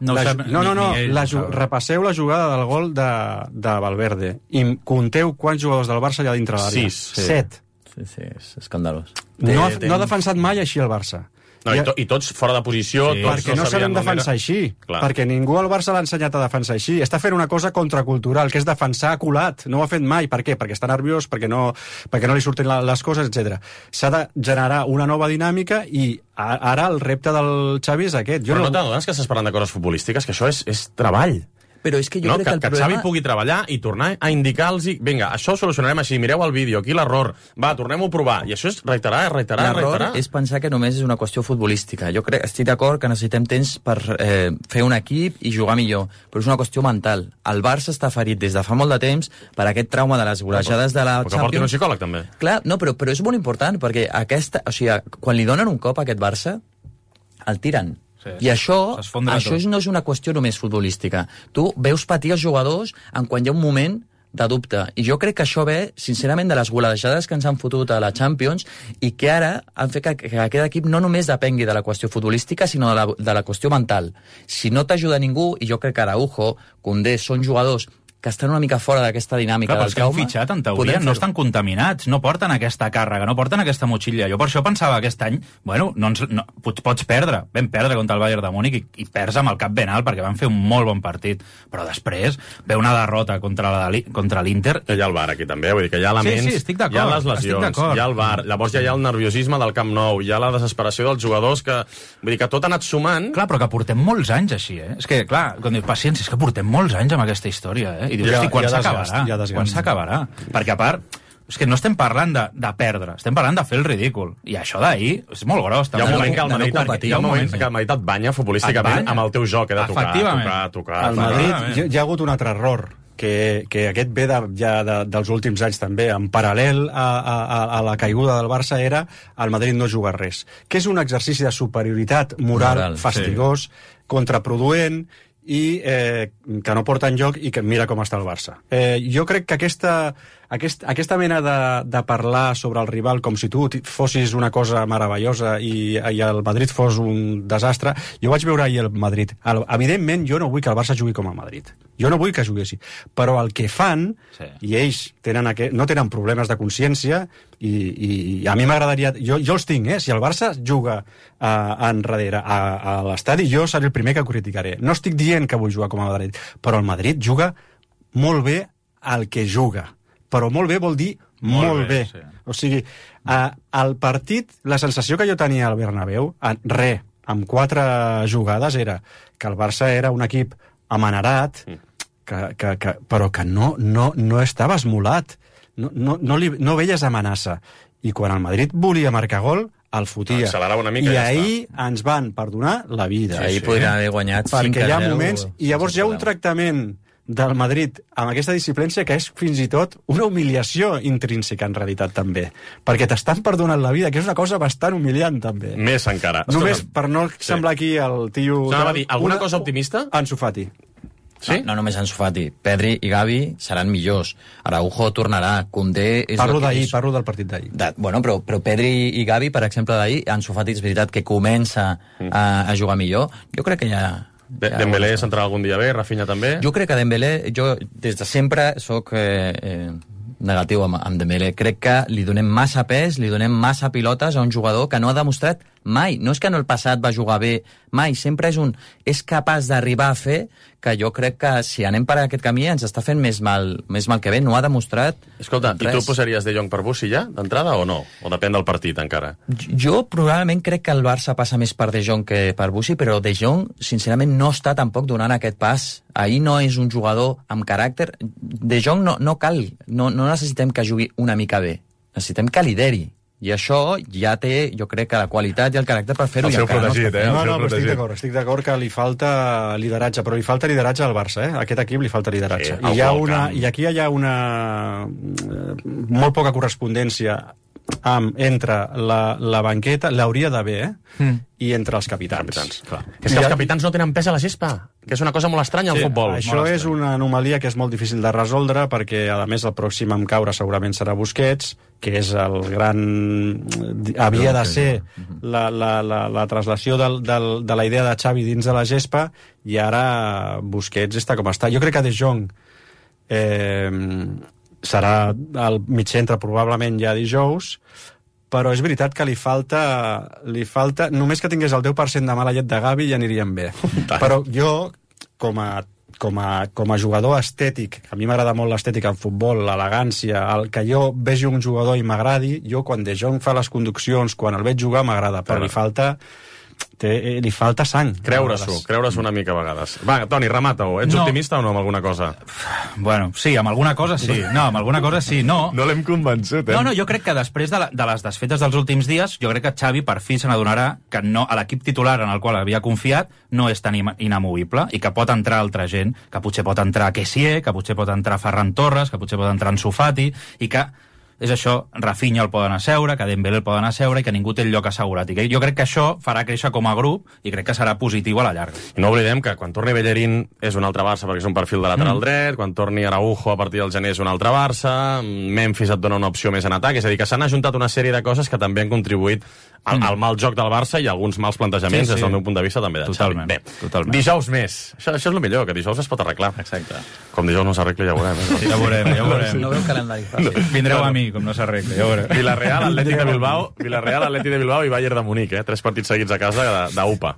S15: Repasseu la jugada del gol de Valverde i compteu quants jugadors del Barça hi ha dintre l'àrea. 7.
S16: Sí, és escandalós.
S15: No ha defensat mai així el Barça.
S3: I tots fora de posició.
S15: Perquè no sabem defensar així. Perquè ningú al Barça l'ha ensenyat a defensar així. Està fent una cosa contracultural, que és defensar colat. No ho ha fet mai. Per què? Perquè està nerviós, perquè no li surten les coses, etc. S'ha de generar una nova dinàmica, i ara el repte del Xavi és aquest.
S3: Però no t'adones que estàs parlant de coses futbolístiques? Que això és treball.
S16: Però és que jo crec que el problema...
S3: Xavi pugui treballar i tornar a indicar-los, vinga, això ho solucionarem així, mireu el vídeo, aquí l'error, va, tornem-ho a provar. I això és reiterar.
S16: L'error és pensar que només és una qüestió futbolística. Jo estic d'acord que necessitem temps per fer un equip i jugar millor, però és una qüestió mental. El Barça està ferit des de fa molt de temps per aquest trauma de les golejades de la Champions.
S3: Que porti un psicòleg, també.
S16: Clar, no, però és molt important, perquè quan li donen un cop a aquest Barça, el tiren. I això no és una qüestió només futbolística. Tu veus patir els jugadors quan hi ha un moment de dubte. I jo crec que això ve, sincerament, de les golejades que ens han fotut a la Champions, i que ara han fet que aquest equip no només depengui de la qüestió futbolística, sinó de la qüestió mental. Si no t'ajuda ningú, i jo crec que Araujo, Koundé, són jugadors que estan una mica fora d'aquesta dinàmica
S14: Clar,
S16: del
S14: trauma... Clar, però és que han
S16: trauma,
S14: fitxat, en teoria, no estan contaminats, no porten aquesta càrrega, no porten aquesta motxilla. Jo per això pensava aquest any, bueno, pots perdre, vam perdre contra el Bayern de Múnich i perds amb el cap ben alt perquè van fer un molt bon partit, però després ve una derrota contra l'Inter.
S3: Hi ha el VAR aquí també, vull dir que hi ha elements,
S14: sí, estic d'acord,
S3: hi ha les lesions, hi ha el VAR, llavors ja hi ha el nerviosisme del Camp Nou, hi ha la desesperació dels jugadors, que vull dir que tot ha anat sumant.
S14: Clar, però que portem molts anys així, eh? És que, clar, quan dius paciència, és que portem molts anys amb aquesta història, eh? I dius, hosti, quan s'acabarà? Quan s'acabarà? Perquè, a part, és que no estem parlant de perdre, estem parlant de fer el ridícul. I això d'ahir és molt gros.
S3: Hi ha un moment que el Madrid et banya futbolísticament amb el teu joc, de tocar.
S15: Al Madrid hi ha hagut un altre error, que aquest ve dels últims anys també, en paral·lel a la caiguda del Barça, era el Madrid no juga res, que és un exercici de superioritat moral fastigós, contraproduent, i que no porta enlloc, i que mira com està el Barça. Jo crec que aquesta mena de parlar sobre el rival com si tu fossis una cosa meravellosa i el Madrid fos un desastre, jo vaig veure ahir el Madrid. Evidentment, jo no vull que el Barça jugui com el Madrid. Jo no vull que jugui així. Però el que fan, i ells no tenen problemes de consciència, i a mi m'agradaria... Jo els tinc, si el Barça juga enrere a l'estadi, jo seré el primer que criticaré. No estic dient que vull jugar com el Madrid, però el Madrid juga molt bé al que juga. Però molt bé vol dir molt bé. Sí. O sigui, al partit, la sensació que jo tenia al Bernabéu, amb 4 jugades, era que el Barça era un equip amanerat, però que no estava esmolat. No veies amenaça. I quan el Madrid volia marcar gol, el fotia.
S3: Una mica,
S15: i ahir ens van perdonar la vida.
S16: Ahir podrien haver guanyat 5-0.
S15: Perquè hi ha moments... I llavors hi ha un tractament del Madrid amb aquesta disciplència que és fins i tot una humiliació intrínseca en realitat també, perquè t'estan perdonant la vida, que és una cosa bastant humiliant també.
S3: Més encara.
S15: Només per no semblar aquí el tio...
S3: Alguna cosa optimista?
S15: Ansu Fati.
S16: Sí? No només Ansu Fati, Pedri i Gavi seran millors, Araujo tornarà, Koundé...
S15: Parlo del partit d'ahir.
S16: Bueno, però Pedri i Gavi, per exemple, d'ahir, Ansu Fati és veritat que comença a jugar millor. Jo crec que ja...
S3: Dembélé s'entrarà algun dia bé, Rafinha també?
S16: Jo crec que Dembélé, jo des de sempre soc negatiu amb Dembélé. Crec que li donem massa pes, li donem massa pilotes a un jugador que no ha demostrat mai. No és que en el passat va jugar bé, mai. Sempre és capaç d'arribar a fer que jo crec que si anem per aquest camí ens està fent més mal que bé. No ha demostrat
S3: Escolta,
S16: res.
S3: I tu posaries De Jong per Bussi ja, d'entrada, o no? O depèn del partit, encara?
S16: Jo probablement crec que el Barça passa més per De Jong que per Bussi, però De Jong, sincerament, no està tampoc donant aquest pas. Ahir no és un jugador amb caràcter. De Jong no cal, no necessitem que jugui una mica bé. Necessitem que lideri. I això ja té, jo crec, que la qualitat i el caràcter per fer-ho.
S3: El seu protegit,
S15: No, estic d'acord que li falta lideratge, però li falta lideratge al Barça, A aquest equip li falta lideratge. I aquí hi ha una molt poca correspondència entre la banqueta, l'hauria d'haver, i entre els capitans.
S3: Clar. És que els capitans no tenen pes a la gespa, que és una cosa molt estranya al futbol.
S15: Això és una anomalia que és molt difícil de resoldre, perquè, a més, el pròxim en caure segurament serà Busquets, que és el gran... havia de ser la traslació de la idea de Xavi dins de la gespa, i ara Busquets està com està. Jo crec que De Jong serà al mig centre probablement ja dijous, però és veritat que li falta només que tingués el 10% de mala llet de Gavi ja anirien bé. Però jo, com a jugador estètic, a mi m'agrada molt l'estètica en futbol, l'elegància, el que jo vegi un jugador i m'agradi, jo quan De Jong fa les conduccions, quan el veig jugar m'agrada, però li falta sang.
S3: Creure-s'ho una mica a vegades. Va, Toni, remata-ho. Ets optimista o no amb alguna cosa?
S14: Bueno, sí, amb alguna cosa sí. No, amb alguna cosa sí, no.
S3: No l'hem convençut,
S14: No, jo crec que després de les desfetes dels últims dies, jo crec que Xavi per fi se n'adonarà que l'equip titular en el qual havia confiat no és tan inamovible i que pot entrar altra gent, que potser pot entrar Kessié, que potser pot entrar Ferran Torres, que potser pot entrar Ansu Fati, i que és això, Rafinha el poden asseure, que Dembélé el poden asseure i que ningú té el lloc assegurat. I jo crec que això farà créixer com a grup i crec que serà positiu a la llarga.
S3: I no oblidem que quan torni Bellerín és un altre Barça perquè és un perfil de lateral dret, quan torni Araujo a partir del gener és un altre Barça, Memphis et dona una opció més en atac, és a dir, que s'han ajuntat una sèrie de coses que també han contribuït el mal joc del Barça i alguns mals plantejaments, des del meu punt de vista, també de Xavi. Bé, dijous més. Això és el millor, que dijous es pot arreglar.
S16: Exacte.
S3: Com dijous no s'arregla, ja ho veurem.
S14: Ja ho veurem.
S16: No veu calendari fàcil.
S14: Vindreu a mi, com no s'arregla, ja ho veurem.
S3: Villarreal, Atlètic de Bilbao i Bayern de Munic, 3 partits seguits a casa d'UPA.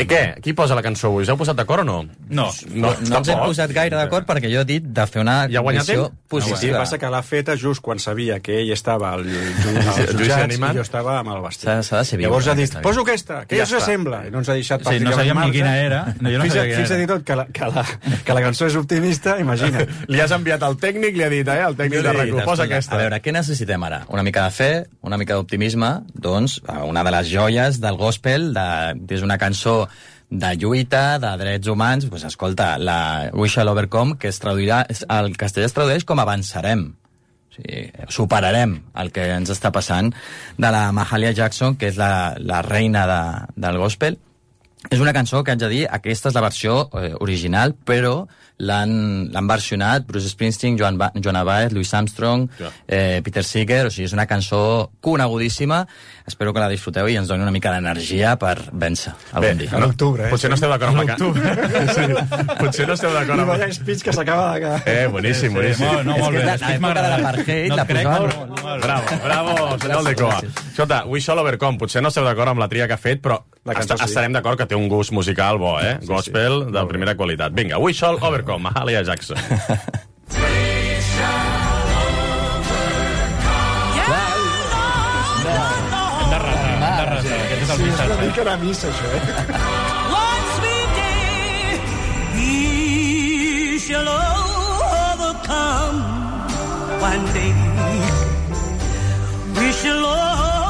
S3: Què? Qui posa la cançó avui? Us heu posat d'acord o no?
S14: No.
S16: No ens hem posat gaire d'acord perquè jo he dit de fer una visió positiva.
S15: Sí, passa que l'ha feta just quan sabia que ell estava al jutjats i jo estava amb el vestit.
S16: S'ha de ser viu.
S15: Llavors ha dit, poso aquesta, que ja s'assembla. I no ens ha deixat
S14: no sabíem ni quina era.
S15: Fins i tot que la cançó és optimista, imagina't.
S3: Li has enviat al tècnic, li ha dit, el tècnic de RAC1, posa aquesta.
S16: A veure, què necessitem ara? Una mica de fe, una mica d'optimisme, doncs una de les joies del gospel, és una cançó de lluita, de drets humans, doncs escolta, la We Shall Overcome, que al castellà es tradueix com avançarem. O sigui, superarem el que ens està passant, de la Mahalia Jackson, que és la reina del gospel. És una cançó que haig de dir, aquesta és la versió original, però l'han versionat Bruce Springsteen, Joan Baez, Louis Armstrong, Peter Seeger, o sigui, és una cançó conegudíssima. Espero que la disfruteu i ens doni una mica d'energia per vèncer algun dia.
S15: A l'octubre,
S3: Potser no esteu d'acord amb la cançó. Potser no esteu d'acord amb...
S15: I vaya speech que s'acaba de...
S3: boníssim.
S16: No, molt bé. L'època de l'apartheid la posaven...
S3: Bravo, senyor Aldecoa. Escolta, We Shall Overcome, potser no esteu d'acord amb la tria que ha fet, però estarem d'acord que té un gust musical bo, Gospel de primera qualitat. Vinga, We Shall Overcome, Mahalia Jackson.
S15: Sí, és una mica de missa, això,
S13: Once we did, we shall overcome. One day, we shall overcome.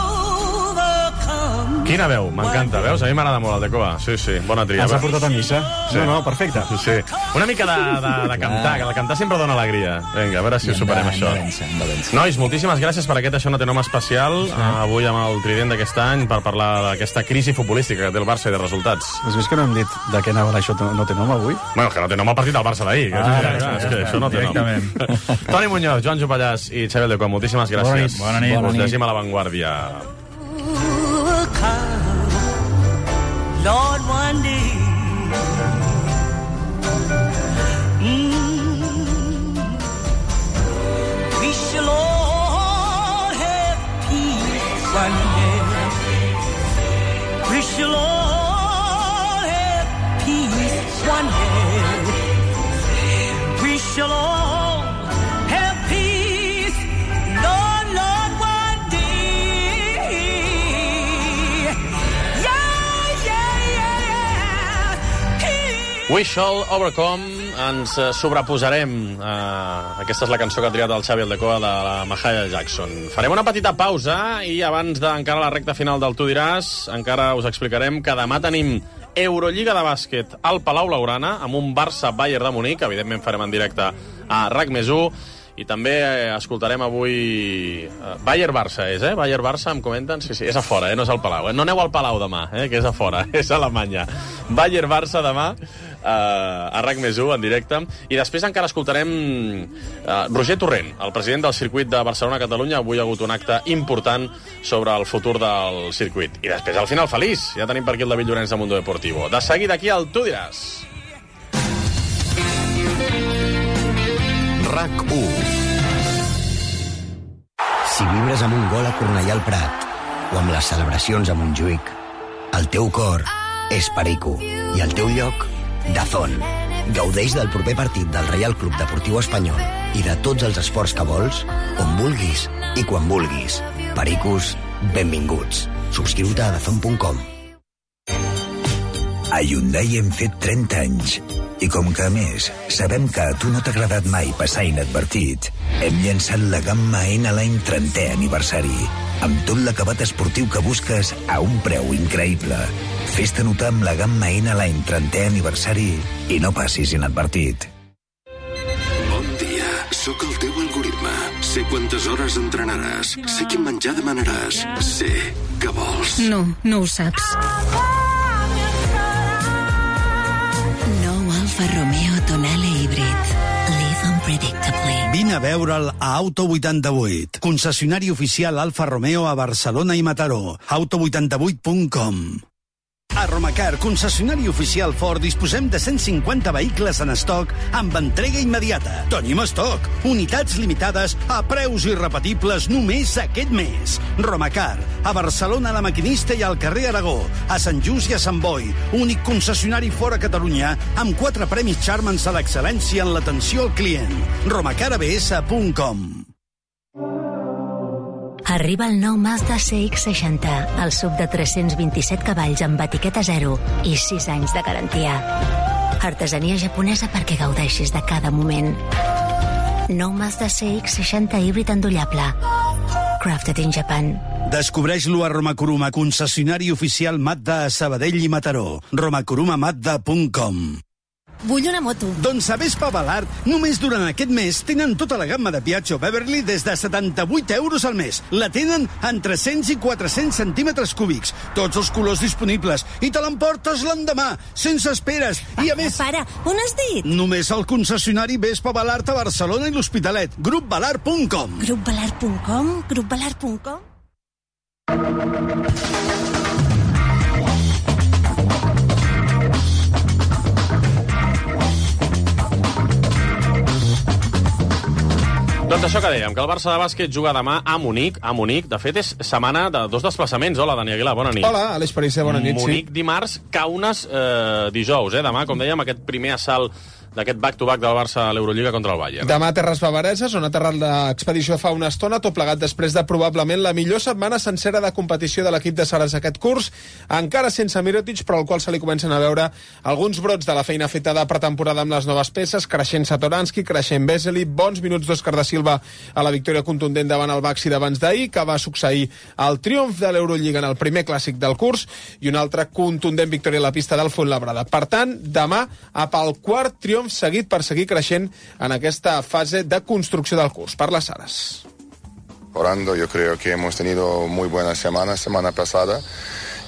S3: Quina veu, m'encanta, veus? A mi m'agrada molt el Aldecoa. Sí, bona tria.
S15: Ens ha portat a missa?
S3: Sí.
S15: No, perfecte.
S3: Sí. Una mica de cantar, que el cantar sempre dona alegria. Vinga, a veure si ho superem, això. Nois, moltíssimes gràcies per aquest Això no té nom especial, avui amb el trident d'aquest any, per parlar d'aquesta crisi futbolística que té el Barça i de resultats.
S15: Has vist que no hem dit de què anava Això no té nom avui?
S3: Bueno, que no té nom el partit del Barça d'ahir. És que això no té nom. Toni Muñoz, Joan Jopallàs i Xavi Aldecoa, moltíssimes gràcies.
S14: Bona nit.
S3: Us llegim a La Vanguardia.
S13: Lord, one day, we shall all have peace one day. We shall all have peace one day. We shall all have peace, Lord, one day.
S3: We Shall Overcome, ens sobreposarem. Aquesta és la cançó que ha triat el Xavi Aldecoa de la Mahalia Jackson. Farem una petita pausa i abans d'encara la recta final del Tu diràs, encara us explicarem que demà tenim Eurolliga de bàsquet al Palau Blaugrana amb un Barça-Bayern de Munic. Evidentment farem en directe a RAC+1. I també escoltarem avui Bayern-Barça, Bayern-Barça, em comenten? Sí, és a fora, no és al Palau. No aneu al Palau demà, que és a fora, és a Alemanya. Bayern-Barça demà a RAC+1 en directe. I després encara escoltarem Roger Torrent, el president del circuit de Barcelona-Catalunya. Avui ha hagut un acte important sobre el futur del circuit. I després, al final feliç, ja tenim per aquí el David Llorenç de Mundo Deportivo. De seguida aquí al Tu diràs.
S17: RAC1. Si vibres amb un gol a Cornellà al Prat o amb les celebracions a Montjuïc, el teu cor és Perico i el teu lloc, DAZN. Gaudeix del proper partit del Reial Club Deportiu Espanyol i de tots els esports que vols, on vulguis i quan vulguis. Pericos, benvinguts. Subscriu-te a DAZN.com.
S18: A Hyundai hem fet 30 anys. I com que, a més, sabem que a tu no t'ha agradat mai passar inadvertit, hem llançat la gamma N l'any 30è aniversari, amb tot l'acabat esportiu que busques a un preu increïble. Fes-te notar amb la gamma N l'any 30è aniversari i no passis inadvertit.
S19: Bon dia, sóc el teu algoritme. Sé quantes hores entrenaràs, sé quin menjar demanaràs, sé què vols.
S20: No ho saps. Nou Alfa Romeo Tonale Híbrid. Live unpredictably. Vine a veure'l a Auto 88, concessionari oficial Alfa Romeo a Barcelona i Mataró. Auto88.com. A Romacar, concessionari oficial Ford, disposem de 150 vehicles en estoc amb entrega immediata. Tenim estoc, unitats limitades a preus irrepetibles només aquest mes. Romacar, a Barcelona, a La Maquinista i al carrer Aragó, a Sant Just i a Sant Boi, únic concessionari fora Catalunya amb 4 premis Charmans a l'excel·lència en l'atenció al client. romacarabs.com.
S21: Arriba el nou Mazda CX-60, el SUV de 327 cavalls amb etiqueta 0 i 6 anys de garantia. Artesania japonesa perquè gaudeixis de cada moment. Nou Mazda CX-60 híbrid endollable. Crafted in Japan.
S20: Descobreix-lo a Romakuruma, concessionari oficial Mazda a Sabadell i Mataró. romakurumamazda.com.
S21: Vull una moto.
S20: Doncs a Vespa Balart, només durant aquest mes tenen tota la gamma de Piaggio Beverly des de 78 euros al mes. La tenen en 300 i 400 centímetres cúbics. Tots els colors disponibles. I te l'emportes l'endemà, sense esperes. I a més...
S21: Para, on has dit?
S20: Només al concessionari Vespa Balart a Barcelona i l'Hospitalet. Grupbalart.com.
S21: Grupbalart.com? Grupbalart.com?
S3: Doncs això que dèiem, que el Barça de bàsquet juga demà a Munic. De fet, és setmana de 2 desplaçaments. Hola, Dani Aguilar, bona nit.
S22: Hola, Aleix Parisse, bona nit.
S3: Munic dimarts, Kaunas dijous. Demà, com dèiem, aquest primer assalt d'aquest back-to-back del Barça a l'Eurolliga contra el Bayern.
S22: Demà a Terres Bavareses, on ha aterrat l'expedició fa una estona, tot plegat després de probablement la millor setmana sencera de competició de l'equip de Saras aquest curs, encara sense Mirotic, però al qual se li comencen a veure alguns brots de la feina feta de pretemporada amb les noves peces, creixent Satoransky, creixent Vesely, bons minuts d'Òscar da Silva a la victòria contundent davant el Baxi d'abans d'ahir, que va succeir el triomf de l'Eurolliga en el primer clàssic del curs, i una altra contundent victòria a la pista del Fuenlabrada. Per tant, demà, pel quart triomf seguit per seguir creixent en aquesta fase de construcció del curs. Parla Saras.
S23: Orando, yo creo que hemos tenido muy buena semana pasada,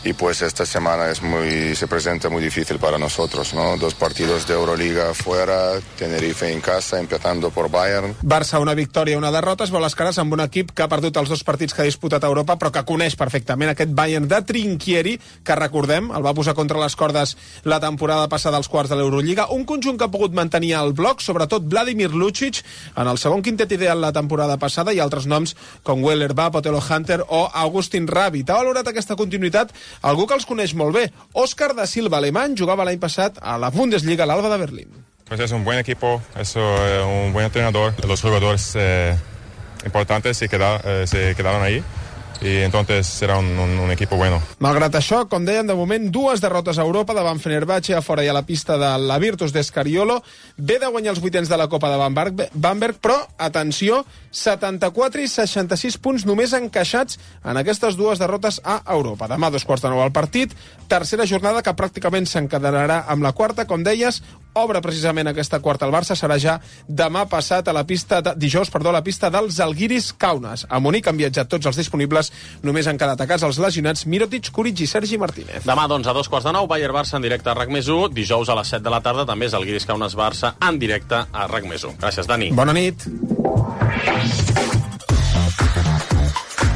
S23: y pues esta semana se presenta muy difícil para nosotros, ¿no? 2 partidos de Euroliga fuera, Tenerife en casa, empezando por Bayern.
S22: Barça, una victòria, una derrota, es veu les cares amb un equip que ha perdut els 2 partits que ha disputat a Europa, però que coneix perfectament aquest Bayern de Trinchieri, que recordem, el va posar contra les cordes la temporada passada als quarts de l'Eurolliga, un conjunt que ha pogut mantenir el bloc, sobretot Vladimir Lucic, en el segon quintet ideal la temporada passada, i altres noms com Weller Babb, Otelo Hunter o Augustin Rabbit. Ha valorat aquesta continuïtat algú que els coneix molt bé. Òscar da Silva, alemany, jugava l'any passat a la Bundesliga, a l'Alba de Berlín.
S24: Pues es un buen equipo, es un buen entrenador. Los jugadores importantes se quedaron ahí. I entonces serà un equipo bueno.
S22: Malgrat això, com deien, de moment 2 derrotes a Europa davant Fenerbahce, a fora i a la pista de la Virtus d'Escariolo. Ve de guanyar els 8ens de la Copa de Bamberg, però, atenció, 74 i 66 punts només encaixats en aquestes 2 derrotes a Europa. Demà 2:15 al partit, tercera jornada que pràcticament s'encadenarà amb la quarta. Com deies, obre precisament aquesta quarta al Barça, serà ja demà passat a la pista dijous, a la pista dels Žalgiris Kaunas. A Munic han viatjat tots els disponibles, només han quedat a casa els lesionats Mirotic, Kuric i Sergi Martínez.
S3: Demà, doncs, a 2:15, Bayern-Barça en directe a RAC+1, dijous a les 7 de la tarda, també Žalgiris Kaunas-Barça en directe a RAC+1. Gràcies, Dani.
S22: Bona nit.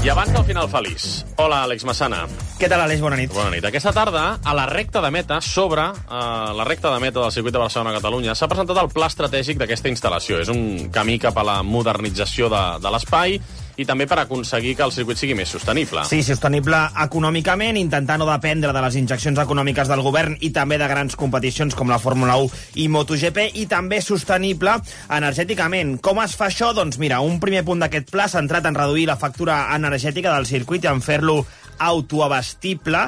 S3: I abans del final feliç. Hola, Àlex Massana.
S25: Què tal, Àlex? Bona nit.
S3: Bona nit. Aquesta tarda, a la recta de meta, la recta de meta del circuit de Barcelona-Catalunya, s'ha presentat el pla estratègic d'aquesta instal·lació. És un camí cap a la modernització de l'espai i també per aconseguir que el circuit sigui més sostenible.
S25: Sí, sostenible econòmicament, intentar no dependre de les injeccions econòmiques del govern i també de grans competicions com la Fórmula 1 i MotoGP, i també sostenible energèticament. Com es fa això? Doncs mira, un primer punt d'aquest pla s'ha centrat en reduir la factura energètica del circuit i en fer-lo autoabastable,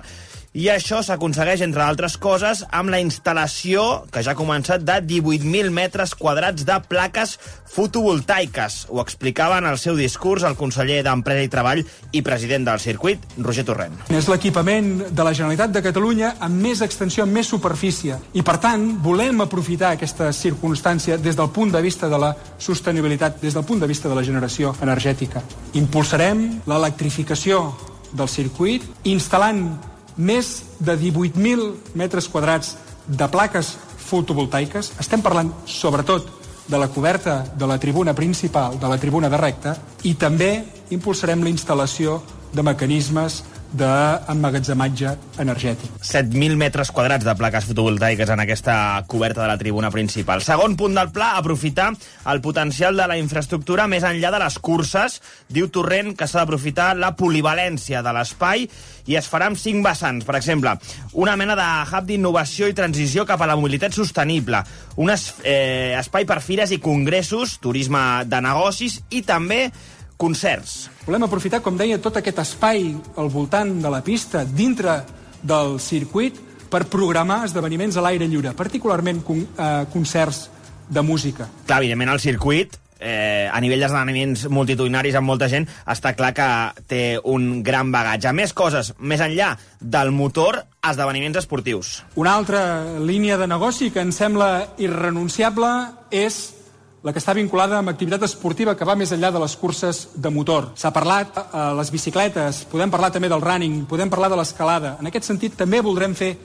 S25: i això s'aconsegueix, entre altres coses, amb la instal·lació, que ja ha començat, de 18.000 metres quadrats de plaques fotovoltaiques. Ho explicava en el seu discurs el conseller d'Empresa i Treball i president del circuit, Roger Torrent.
S26: És l'equipament de la Generalitat de Catalunya amb més extensió, amb més superfície. I, per tant, volem aprofitar aquesta circumstància des del punt de vista de la sostenibilitat, des del punt de vista de la generació energètica. Impulsarem l'electrificació del circuit, instal·lant més de 18.000 metres quadrats de plaques fotovoltaiques. Estem parlant, sobretot, de la coberta de la tribuna principal, de la tribuna de recta, i també impulsarem la instal·lació de mecanismes d'emmagatzematge energètic.
S25: 7.000 metres quadrats de plaques fotovoltaiques en aquesta coberta de la tribuna principal. Segon punt del pla, aprofitar el potencial de la infraestructura més enllà de les curses. Diu Torrent que s'ha d'aprofitar la polivalència de l'espai i es farà amb 5 vessants. Per exemple, una mena de hub d'innovació i transició cap a la mobilitat sostenible, un espai per fires i congressos, turisme de negocis i també concerts.
S26: Volem aprofitar, com deia, tot aquest espai al voltant de la pista, dintre del circuit, per programar esdeveniments a l'aire lliure, particularment concerts de música.
S25: Clar, evidentment, el circuit, a nivell d'esdeveniments multitudinaris amb molta gent, està clar que té un gran bagatge. Més coses, més enllà del motor, esdeveniments esportius.
S26: Una altra línia de negoci que ens sembla irrenunciable és la que està vinculada amb activitat esportiva que va més enllà de les curses de motor. S'ha parlat les bicicletes, podem parlar també del running, podem parlar de l'escalada. En aquest sentit, també voldrem fer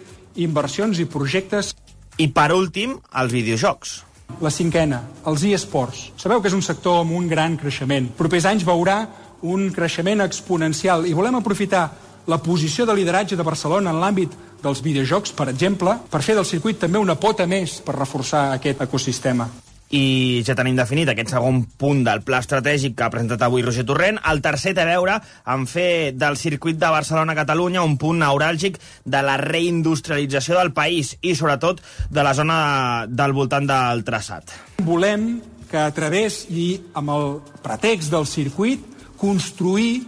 S26: inversions i projectes.
S25: I, per últim, els videojocs.
S26: La cinquena, els eSports. Sabeu que és un sector amb un gran creixement. Propers anys veurà un creixement exponencial i volem aprofitar la posició de lideratge de Barcelona en l'àmbit dels videojocs, per exemple, per fer del circuit també una pota més per reforçar aquest ecosistema.
S25: I ja tenim definit aquest segon punt del pla estratègic que ha presentat avui Roger Torrent. El tercer té a veure amb fer del circuit de Barcelona-Catalunya un punt neuràlgic de la reindustrialització del país i, sobretot, de la zona del voltant del traçat.
S26: Volem que a través i amb el pretext del circuit construir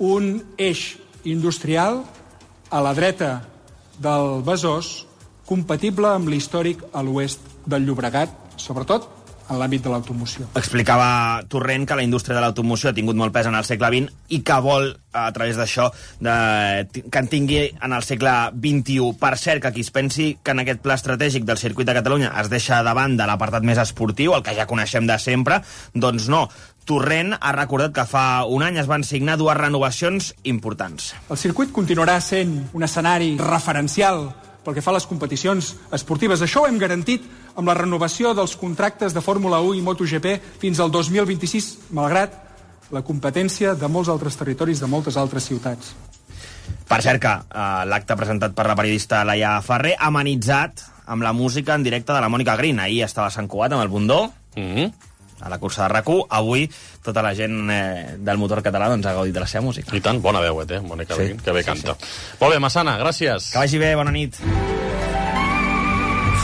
S26: un eix industrial a la dreta del Besòs compatible amb l'històric a l'oest del Llobregat, sobretot en l'àmbit de l'automoció.
S25: Explicava Torrent que la indústria de l'automoció ha tingut molt pes en el segle XX i que vol, a través d'això, que en tingui en el segle XXI. Per cert, que qui es pensi que en aquest pla estratègic del circuit de Catalunya es deixa de banda l'apartat més esportiu, el que ja coneixem de sempre, doncs no. Torrent ha recordat que fa un any es van signar 2 renovacions importants.
S26: El circuit continuarà sent un escenari referencial pel que fa a les competicions esportives. Això ho hem garantit amb la renovació dels contractes de Fórmula 1 i MotoGP fins al 2026, malgrat la competència de molts altres territoris, de moltes altres ciutats.
S25: Per cert que l'acte presentat per la periodista Laia Ferrer ha amenitzat amb la música en directe de la Mònica Green. Ahir estava a Sant Cugat amb el Bundó, a la cursa de RAC1. Avui tota la gent del motor català doncs, ha gaudit de la seva música.
S3: I tant, bona veu, Mònica Green, que bé canta. Molt bé, Massana, gràcies.
S25: Que vagi bé, bona nit.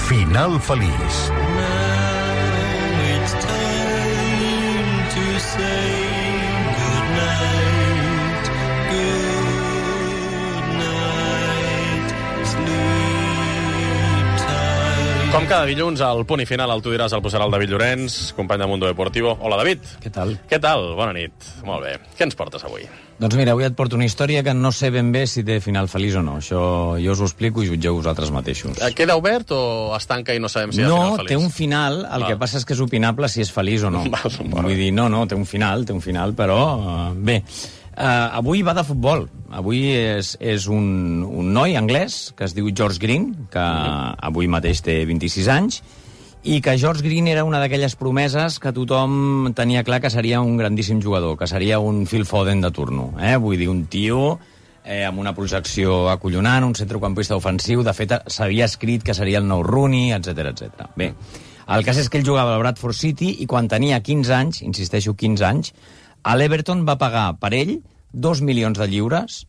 S1: Final feliç.
S3: Com cada dilluns, al punt i final, el tu diràs, el posarà el David Llorenç, company de Mundo Deportivo. Hola, David.
S2: Què tal?
S3: Què tal? Bona nit. Molt bé. Què ens portes avui?
S2: Doncs mira, avui et porto una història que no sé ben bé si té final feliç o no. Això jo us ho explico i jutgeu vosaltres mateixos.
S3: Queda obert o es tanca i no sabem si hi ha final feliç?
S2: No, té un final, que passa és que és opinable si és feliç o no. Vull dir, no, té un final, però bé. Avui va de futbol. Avui és un noi anglès que es diu George Green, que avui mateix té 26 anys, i que George Green era una d'aquelles promeses que tothom tenia clar que seria un grandíssim jugador, que seria un Phil Foden de turno. Vull dir, un tio amb una projecció acollonant, un centrecampista ofensiu. De fet, s'havia escrit que seria el nou Rooney, etc. Bé, el cas és que ell jugava al Bradford City i quan tenia 15 anys, insisteixo, 15 anys, a l'Everton va pagar per ell 2 milions de lliures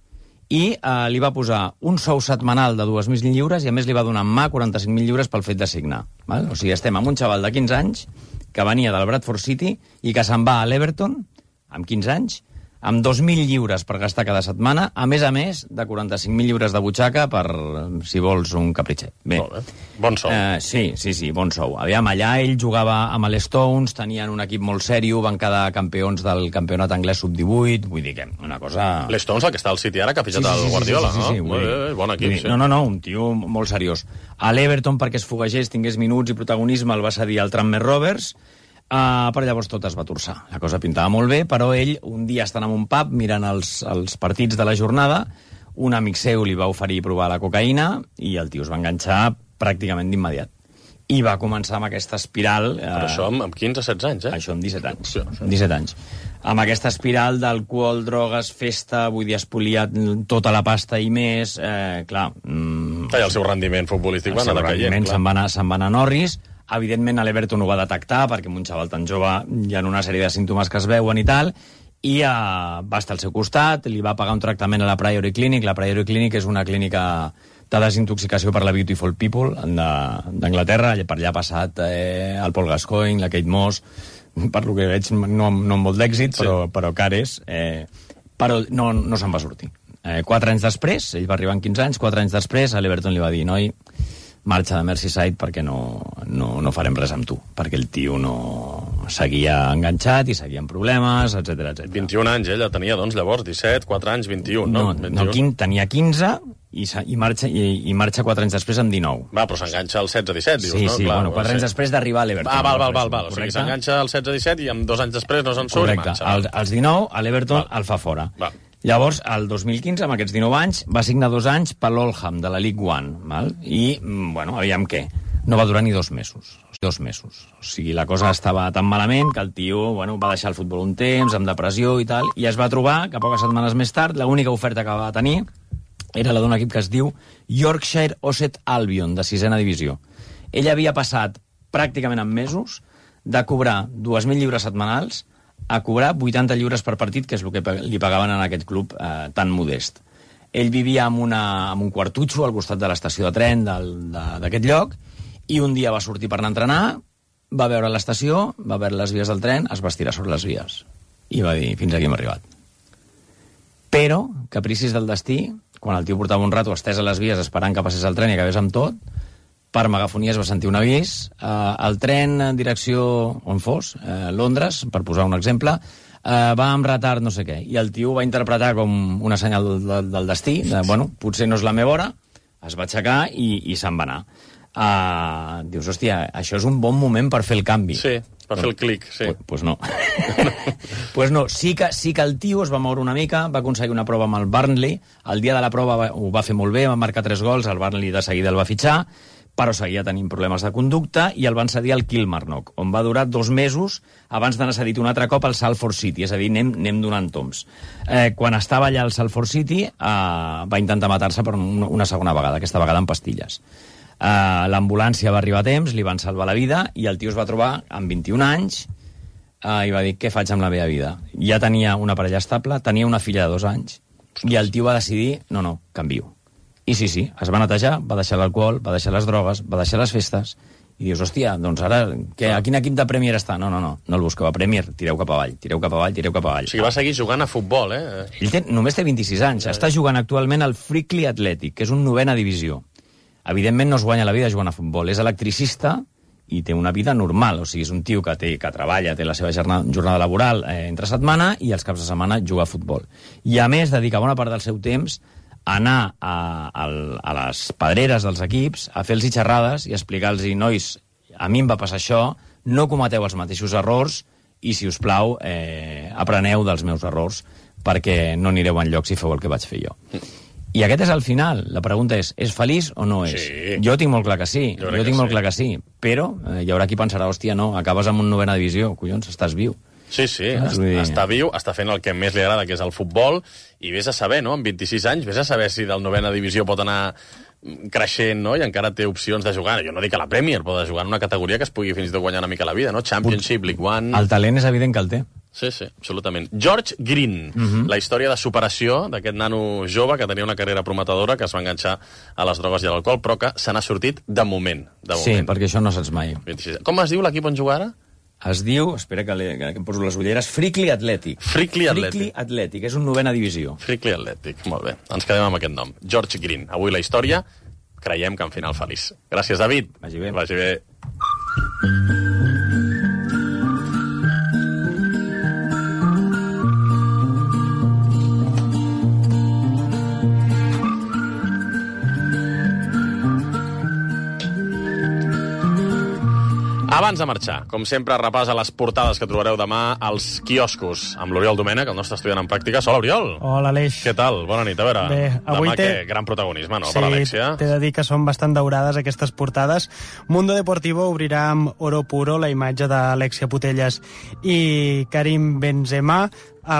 S2: i li va posar un sou setmanal de 2.000 lliures i a més li va donar en mà 45.000 lliures pel fet de signar. Val? O sigui, estem amb un xaval de 15 anys que venia del Bradford City i que se'n va a l'Everton amb 15 anys amb 2.000 lliures per gastar cada setmana, a més de 45.000 lliures de butxaca per, si vols, un capritxet. Bé.
S3: Molt bé. Bon sou.
S2: Sí, bon sou. Aviam, allà ell jugava amb els Stones, tenien un equip molt sèrio, van quedar campions del campionat anglès sub-18, vull dir que una cosa...
S3: Les Stones, el que està al City ara, que ha fitxat el Guardiola, no?
S2: Sí,
S3: bon equip, sí.
S2: No, un tio molt seriós. A l'Everton, perquè es foguegés, tingués minuts i protagonisme, el va cedir al Tranmere Rovers. Però llavors tot es va torçar. La cosa pintava molt bé, però ell, un dia estant en un pub, mirant els partits de la jornada, un amic seu li va oferir provar la cocaïna i el tio es va enganxar pràcticament d'immediat. I va començar amb aquesta espiral...
S3: Però això amb 15-16 anys,
S2: Això amb 17 anys. Amb 17 anys. Amb aquesta espiral d'alcohol, drogues, festa, vull dir, espoliat tota la pasta i més, clar...
S3: I el seu rendiment futbolístic va anar decaient,
S2: se'n va anar Norris. Evidentment, l'Everton ho va detectar, perquè amb un xaval tan jove hi ha una sèrie de símptomes que es veuen i tal, i va estar al seu costat, li va pagar un tractament a la Priory Clinic. La Priory Clinic és una clínica de desintoxicació per la Beautiful People d'Anglaterra. Per allà ha passat el Paul Gascoigne, la Kate Moss, per lo que veig no amb molt d'èxit, però cares, però no se'n va sortir. 4 anys després, ell va arribar en 15 anys, 4 anys després a l'Everton li va dir: noi, marxa de Merseyside perquè no farem res amb tu, perquè el tio no seguia enganxat i seguia amb problemes, etc.
S3: 21 anys, ella tenia, doncs, llavors, 17, 4 anys, 21, no?
S2: No, tenia 15 i marxa 4 anys després amb 19.
S3: Va, però s'enganxa al 16-17, dius, no?
S2: Sí,
S3: Clar,
S2: bueno, 4 anys després d'arribar a l'Everton.
S3: Val. O sigui, s'enganxa al 16-17 i amb 2 anys després no se'n surt i marxa.
S2: Als 19, a l'Everton el fa fora. Llavors, el 2015, amb aquests 19 anys, va signar 2 anys per l'Oldham, de la League One, val? I, bueno, aviam què, no va durar ni 2 mesos. 2 mesos. O sigui, la cosa estava tan malament que el tio, bueno, va deixar el futbol un temps, amb depressió i tal, i es va trobar que poques setmanes més tard l'única oferta que va tenir era la d'un equip que es diu Yorkshire Ossett Albion, de 6a divisió. Ell havia passat pràcticament en mesos de cobrar 2.000 lliures setmanals a cobrar 80 lliures per partit, que és el que li pagaven en aquest club tan modest. Ell vivia en un quartutxo al costat de l'estació de tren d'aquest lloc, i un dia va sortir per anar a entrenar, va veure l'estació, va veure les vies del tren, es va estirar sobre les vies. I va dir: fins aquí hem arribat. Però, capricis del destí, quan el tio portava un rato estès a les vies esperant que passés el tren i acabés amb tot, per megafonia es va sentir un avís, el tren en direcció on fos, Londres, per posar un exemple, va amb retard no sé què, i el tio va interpretar com una senyal del destí, bueno, potser no és la meva hora, es va aixecar i se'n va anar. Dius, hòstia, això és un bon moment per fer el canvi.
S3: Sí, per fer el clic, sí.
S2: Pues no. Pues no, sí que el tio es va moure una mica, va aconseguir una prova amb el Burnley, el dia de la prova ho va fer molt bé, va marcar 3 gols, el Burnley de seguida el va fitxar, però seguia tenint problemes de conducta i el van cedir al Kilmarnock, on va durar 2 mesos abans d'anar cedit un altre cop al Salford City, és a dir, anem donant toms. Quan estava allà al Salford City va intentar matar-se per una segona vegada, aquesta vegada amb pastilles. L'ambulància va arribar a temps, li van salvar la vida i el tio es va trobar amb 21 anys i va dir: què faig amb la meva vida? Ja tenia una parella estable, tenia una filla de 2 anys i el tio va decidir: no, canvio. I sí, es va netejar, va deixar l'alcohol, va deixar les drogues, va deixar les festes, i dius, hòstia, doncs ara, a quin equip de Premier està? No el busqueu a Premier, tireu cap avall. O
S3: sigui, va seguir jugant a futbol,
S2: Ell només té 26 anys, està jugant actualment al Frickley Athletic, que és un 9a divisió. Evidentment no es guanya la vida jugant a futbol, és electricista i té una vida normal, o sigui, és un tio que treballa, té la seva jornada laboral entre setmana i els caps de setmana juga a futbol. I a més dedica bona part del seu temps anar a les pedreres dels equips, a fer-los xerrades i explicar-los: nois, a mi em va passar això, no cometeu els mateixos errors i, si us plau, apreneu dels meus errors perquè no anireu enlloc si feu el que vaig fer jo. I aquest és el final. La pregunta és feliç o no és?
S3: Sí.
S2: Jo tinc molt clar que sí, però hi haurà qui pensarà: hòstia, no, acabes amb un 9a divisió, collons, estàs viu.
S3: Sí, està viu, està fent el que més li agrada, que és el futbol, i vés a saber, no?, amb 26 anys, vés a saber si del 9a divisió pot anar creixent, no?, i encara té opcions de jugar. Jo no dic a la Premier, però de jugar en una categoria que es pugui fins i tot guanyar una mica la vida, no? Championship, League One...
S2: El talent és evident que el té.
S3: Sí, absolutament. George Green, la història de superació d'aquest nano jove que tenia una carrera prometedora, que es va enganxar a les drogues i a l'alcohol, però que se n'ha sortit de moment.
S2: Sí, perquè això no saps mai.
S3: 26. Com es diu l'equip on juga ara?
S2: Es diu, espera que em poso les ulleres, Frickley Athletic.
S3: Frickley Athletic,
S2: és un 9a divisió.
S3: Frickley Athletic, molt bé. Ens quedem amb aquest nom. George Green. Avui la història, creiem que en final feliç. Gràcies, David.
S2: Vagi bé.
S3: Vagi bé. Abans de marxar, com sempre, repàs a les portades que trobareu demà als quioscos amb l'Oriol Domènech, el nostre estudiant en pràctica. Hola, Oriol.
S1: Hola, Aleix.
S3: Què tal? Bona nit. A veure,
S1: bé, avui
S3: demà gran protagonisme, no?
S1: Sí,
S3: per Alexia.
S1: T'he de dir que són bastant daurades aquestes portades. Mundo Deportivo obrirà amb oro puro la imatge d'Alexia Putellas i Karim Benzema.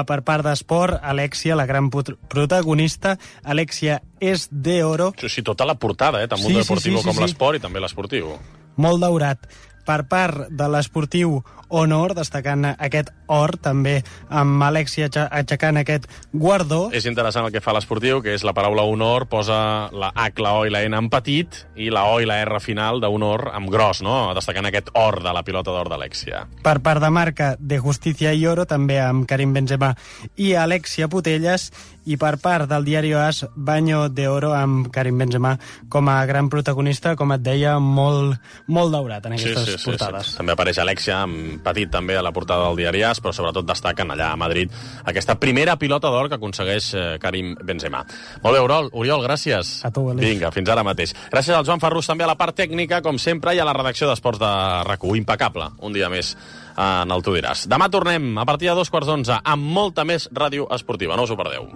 S1: Per part d'Esport, Alexia, la gran protagonista, Alexia és de oro.
S3: Sí, tota la portada, tant Mundo Deportivo com l'Esport i també l'Esportiu.
S1: Molt daurat. Per part de l'Esportiu, Honor, destacant aquest or, també amb Alexia aixecant aquest guardó.
S3: És interessant el que fa l'Esportiu, que és la paraula honor, posa la H, la O i la N en petit, i la O i la R final d'honor amb gros, no? Destacant aquest or de la pilota d'or d'Alexia.
S1: Per part de marca, de Justicia i Oro, també amb Karim Benzema i Alexia Putellas, i per part del diari AS, Baño de Oro amb Karim Benzema com a gran protagonista, com et deia, molt daurat en aquestes portades.
S3: També apareix Alexia amb petit també a la portada del diari AS, però sobretot destaquen allà a Madrid aquesta primera pilota d'or que aconsegueix Karim Benzema. Molt bé, Oriol, gràcies.
S1: A tu, Aleix.
S3: Vinga, fins ara mateix. Gràcies al Joan Ferrus també a la part tècnica, com sempre, i a la redacció d'Esports de RAC1. Impecable, un dia més en el Tu diràs. Demà tornem a partir de 11:15 amb molta més ràdio esportiva. No us ho perdeu.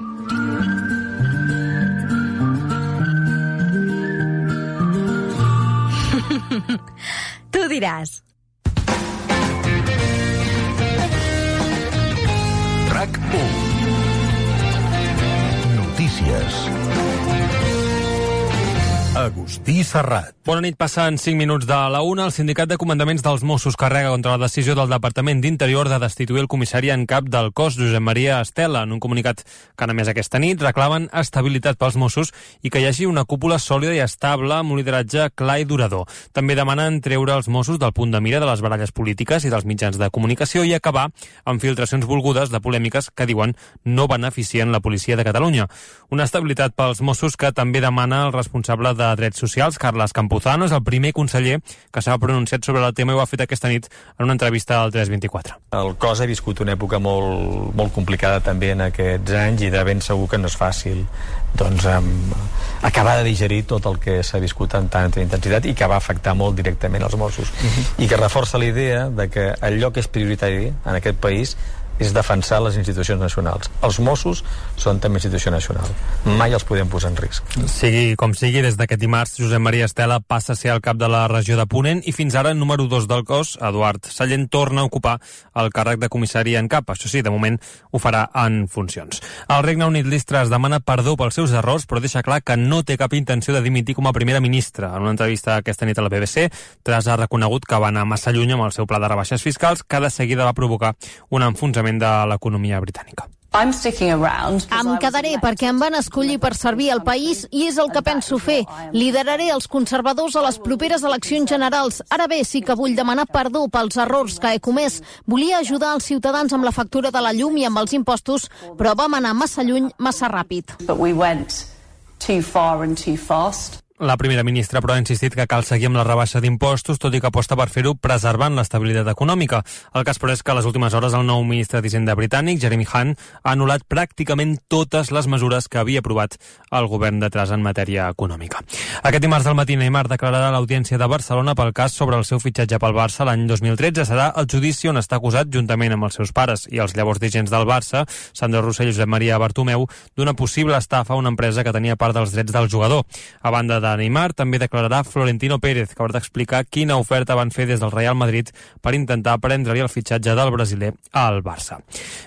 S5: Tu diràs.
S20: RAC1. Notícies. Agustí Serrat.
S6: Bona nit, passen 5 minuts de la 1. El Sindicat de Comandaments dels Mossos carrega contra la decisió del Departament d'Interior de destituir el comissari en cap del cos, Josep Maria Estela. En un comunicat que han emès aquesta nit, reclamen estabilitat pels Mossos i que hi hagi una cúpula sòlida i estable amb un lideratge clar i durador. També demanen treure els Mossos del punt de mira de les baralles polítiques i dels mitjans de comunicació i acabar amb filtracions volgudes de polèmiques que diuen no beneficien la policia de Catalunya. Una estabilitat pels Mossos que també demana el responsable de Drets Socials, Carles Campuzano, és el primer conseller que s'ha pronunciat sobre el tema i ho ha fet aquesta nit en una entrevista al 324.
S8: El cos ha viscut una època molt complicada també en aquests anys i de ben segur que no és fàcil acabar de digerir tot el que s'ha viscut amb tanta intensitat i que va afectar molt directament als Mossos. I que reforça la idea de que allò que és prioritari en aquest país és defensar les institucions nacionals. Els Mossos són també institució nacional. Mai els podem posar en risc.
S6: Sigui com sigui, des d'aquest dimarts, Josep Maria Estela passa a ser el cap de la regió de Ponent i fins ara, número 2 del cos, Eduard Sallent, torna a ocupar el càrrec de comissari en cap. Això sí, de moment ho farà en funcions. El Regne Unit, Liz Truss, demana perdó pels seus errors, però deixa clar que no té cap intenció de dimitir com a primera ministra. En una entrevista aquesta nit a la BBC, Truss ha reconegut que va anar massa lluny amb el seu pla de rebaixes fiscals, que de seguida va provocar un enfonsament de l'economia britànica.
S9: Em quedaré perquè em van escollir per servir al país i és el que penso fer. Lideraré els conservadors a les properes eleccions generals. Ara bé, sí que vull demanar perdó pels errors que he comès. Volia ajudar els ciutadans amb la factura de la llum i amb els impostos, però vam anar massa lluny, massa ràpid.
S6: La primera ministra, però, ha insistit que cal seguir amb la rebaixa d'impostos, tot i que aposta per fer-ho preservant l'estabilitat econòmica. El cas, però, és que a les últimes hores el nou ministre d'Hisenda britànic, Jeremy Hunt, ha anul·lat pràcticament totes les mesures que havia aprovat el govern de Truss en matèria econòmica. Aquest dimarts al matí, Neymar declararà a l'Audiència de Barcelona pel cas sobre el seu fitxatge pel Barça l'any 2013. Serà el judici on està acusat, juntament amb els seus pares i els llavors dirigents del Barça, Sandro Rossell i Josep Maria Bartomeu, d'una possible estafa a una empresa que tenia part dels drets del jugador. A banda de Neymar, també declararà Florentino Pérez, que haurà d'explicar quina oferta van fer des del Real Madrid per intentar prendre-li el fitxatge del brasiler al Barça.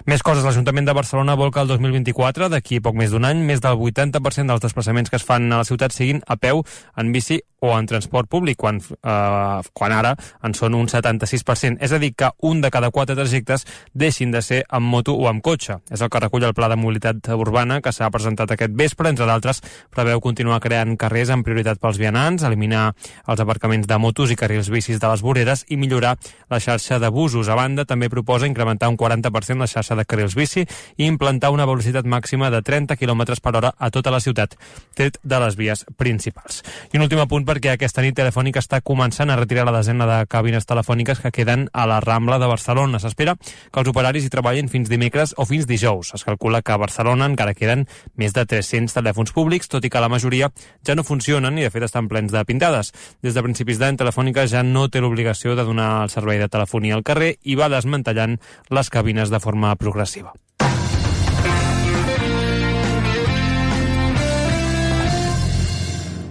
S6: Més coses, l'Ajuntament de Barcelona vol que el 2024, d'aquí poc més d'un any, més del 80% dels desplaçaments que es fan a la ciutat siguin a peu, en bici o en transport públic, quan ara en són un 76%. És a dir, que un de cada 4 trajectes deixin de ser amb moto o amb cotxe. És el que recull el Pla de Mobilitat Urbana que s'ha presentat aquest vespre. Entre d'altres, preveu continuar creant carrers amb prioritat pels vianants, eliminar els aparcaments de motos i carrils bicis de les voreres i millorar la xarxa de busos. A banda, també proposa incrementar un 40% la xarxa de carrils bici i implantar una velocitat màxima de 30 km per hora a tota la ciutat, tret de les vies principals. I un últim apunt per perquè aquesta nit Telefònica està començant a retirar la desena de cabines telefòniques que queden a la Rambla de Barcelona. S'espera que els operaris hi treballin fins dimecres o fins dijous. Es calcula que a Barcelona encara queden més de 300 telèfons públics, tot i que la majoria ja no funcionen i de fet estan plens de pintades. Des de principis d'any, Telefònica ja no té l'obligació de donar el servei de telefonia al carrer i va desmantellant les cabines de forma progressiva.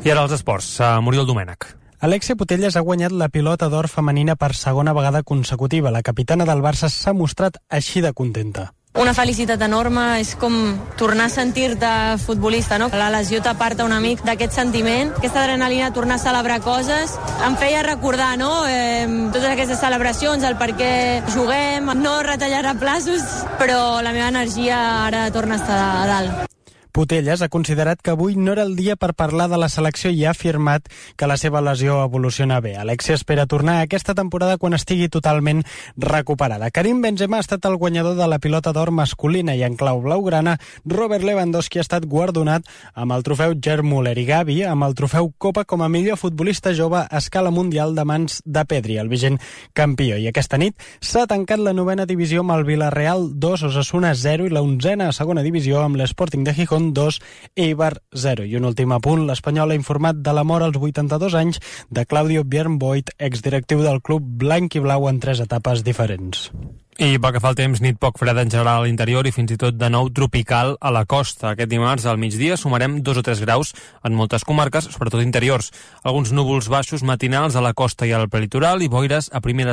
S6: I ara els esports. Muriel Domènech.
S1: Alexia Putellas ha guanyat la pilota d'or femenina per segona vegada consecutiva. La capitana del Barça s'ha mostrat així de contenta.
S4: Una felicitat enorme, és com tornar a sentir-te futbolista, no? La lesió t'aparta una mica d'aquest sentiment, aquesta adrenalina, tornar a celebrar coses, em feia recordar, no?, totes aquestes celebracions, el per què juguem, no retallar a plaços, però la meva energia ara torna a estar a dalt.
S1: Putellas ha considerat que avui no era el dia per parlar de la selecció i ha afirmat que la seva lesió evoluciona bé. Alexia espera tornar aquesta temporada quan estigui totalment recuperada. Karim Benzema ha estat el guanyador de la pilota d'or masculina i en clau blaugrana Robert Lewandowski ha estat guardonat amb el trofeu Gerd Müller i Gavi amb el trofeu Copa com a millor futbolista jove a escala mundial de mans de Pedri, el vigent campió. I aquesta nit s'ha tancat la 9a divisió amb el Villarreal 2, Osasuna 0 i la 11a segona divisió amb l'Sporting de Gijón 2, Eibar 0. I un últim apunt, l'Espanyol ha informat de la mort als 82 anys de Claudio Bjernboyd, exdirectiu del club blanc i blau en 3 etapes diferents.
S6: I pel que fa al temps, nit poc freda en general a l'interior i fins i tot de nou tropical a la costa. Aquest dimarts al migdia sumarem 2 o 3 graus en moltes comarques, sobretot interiors. Alguns núvols baixos matinals a la costa i al prelitoral i boires a primeres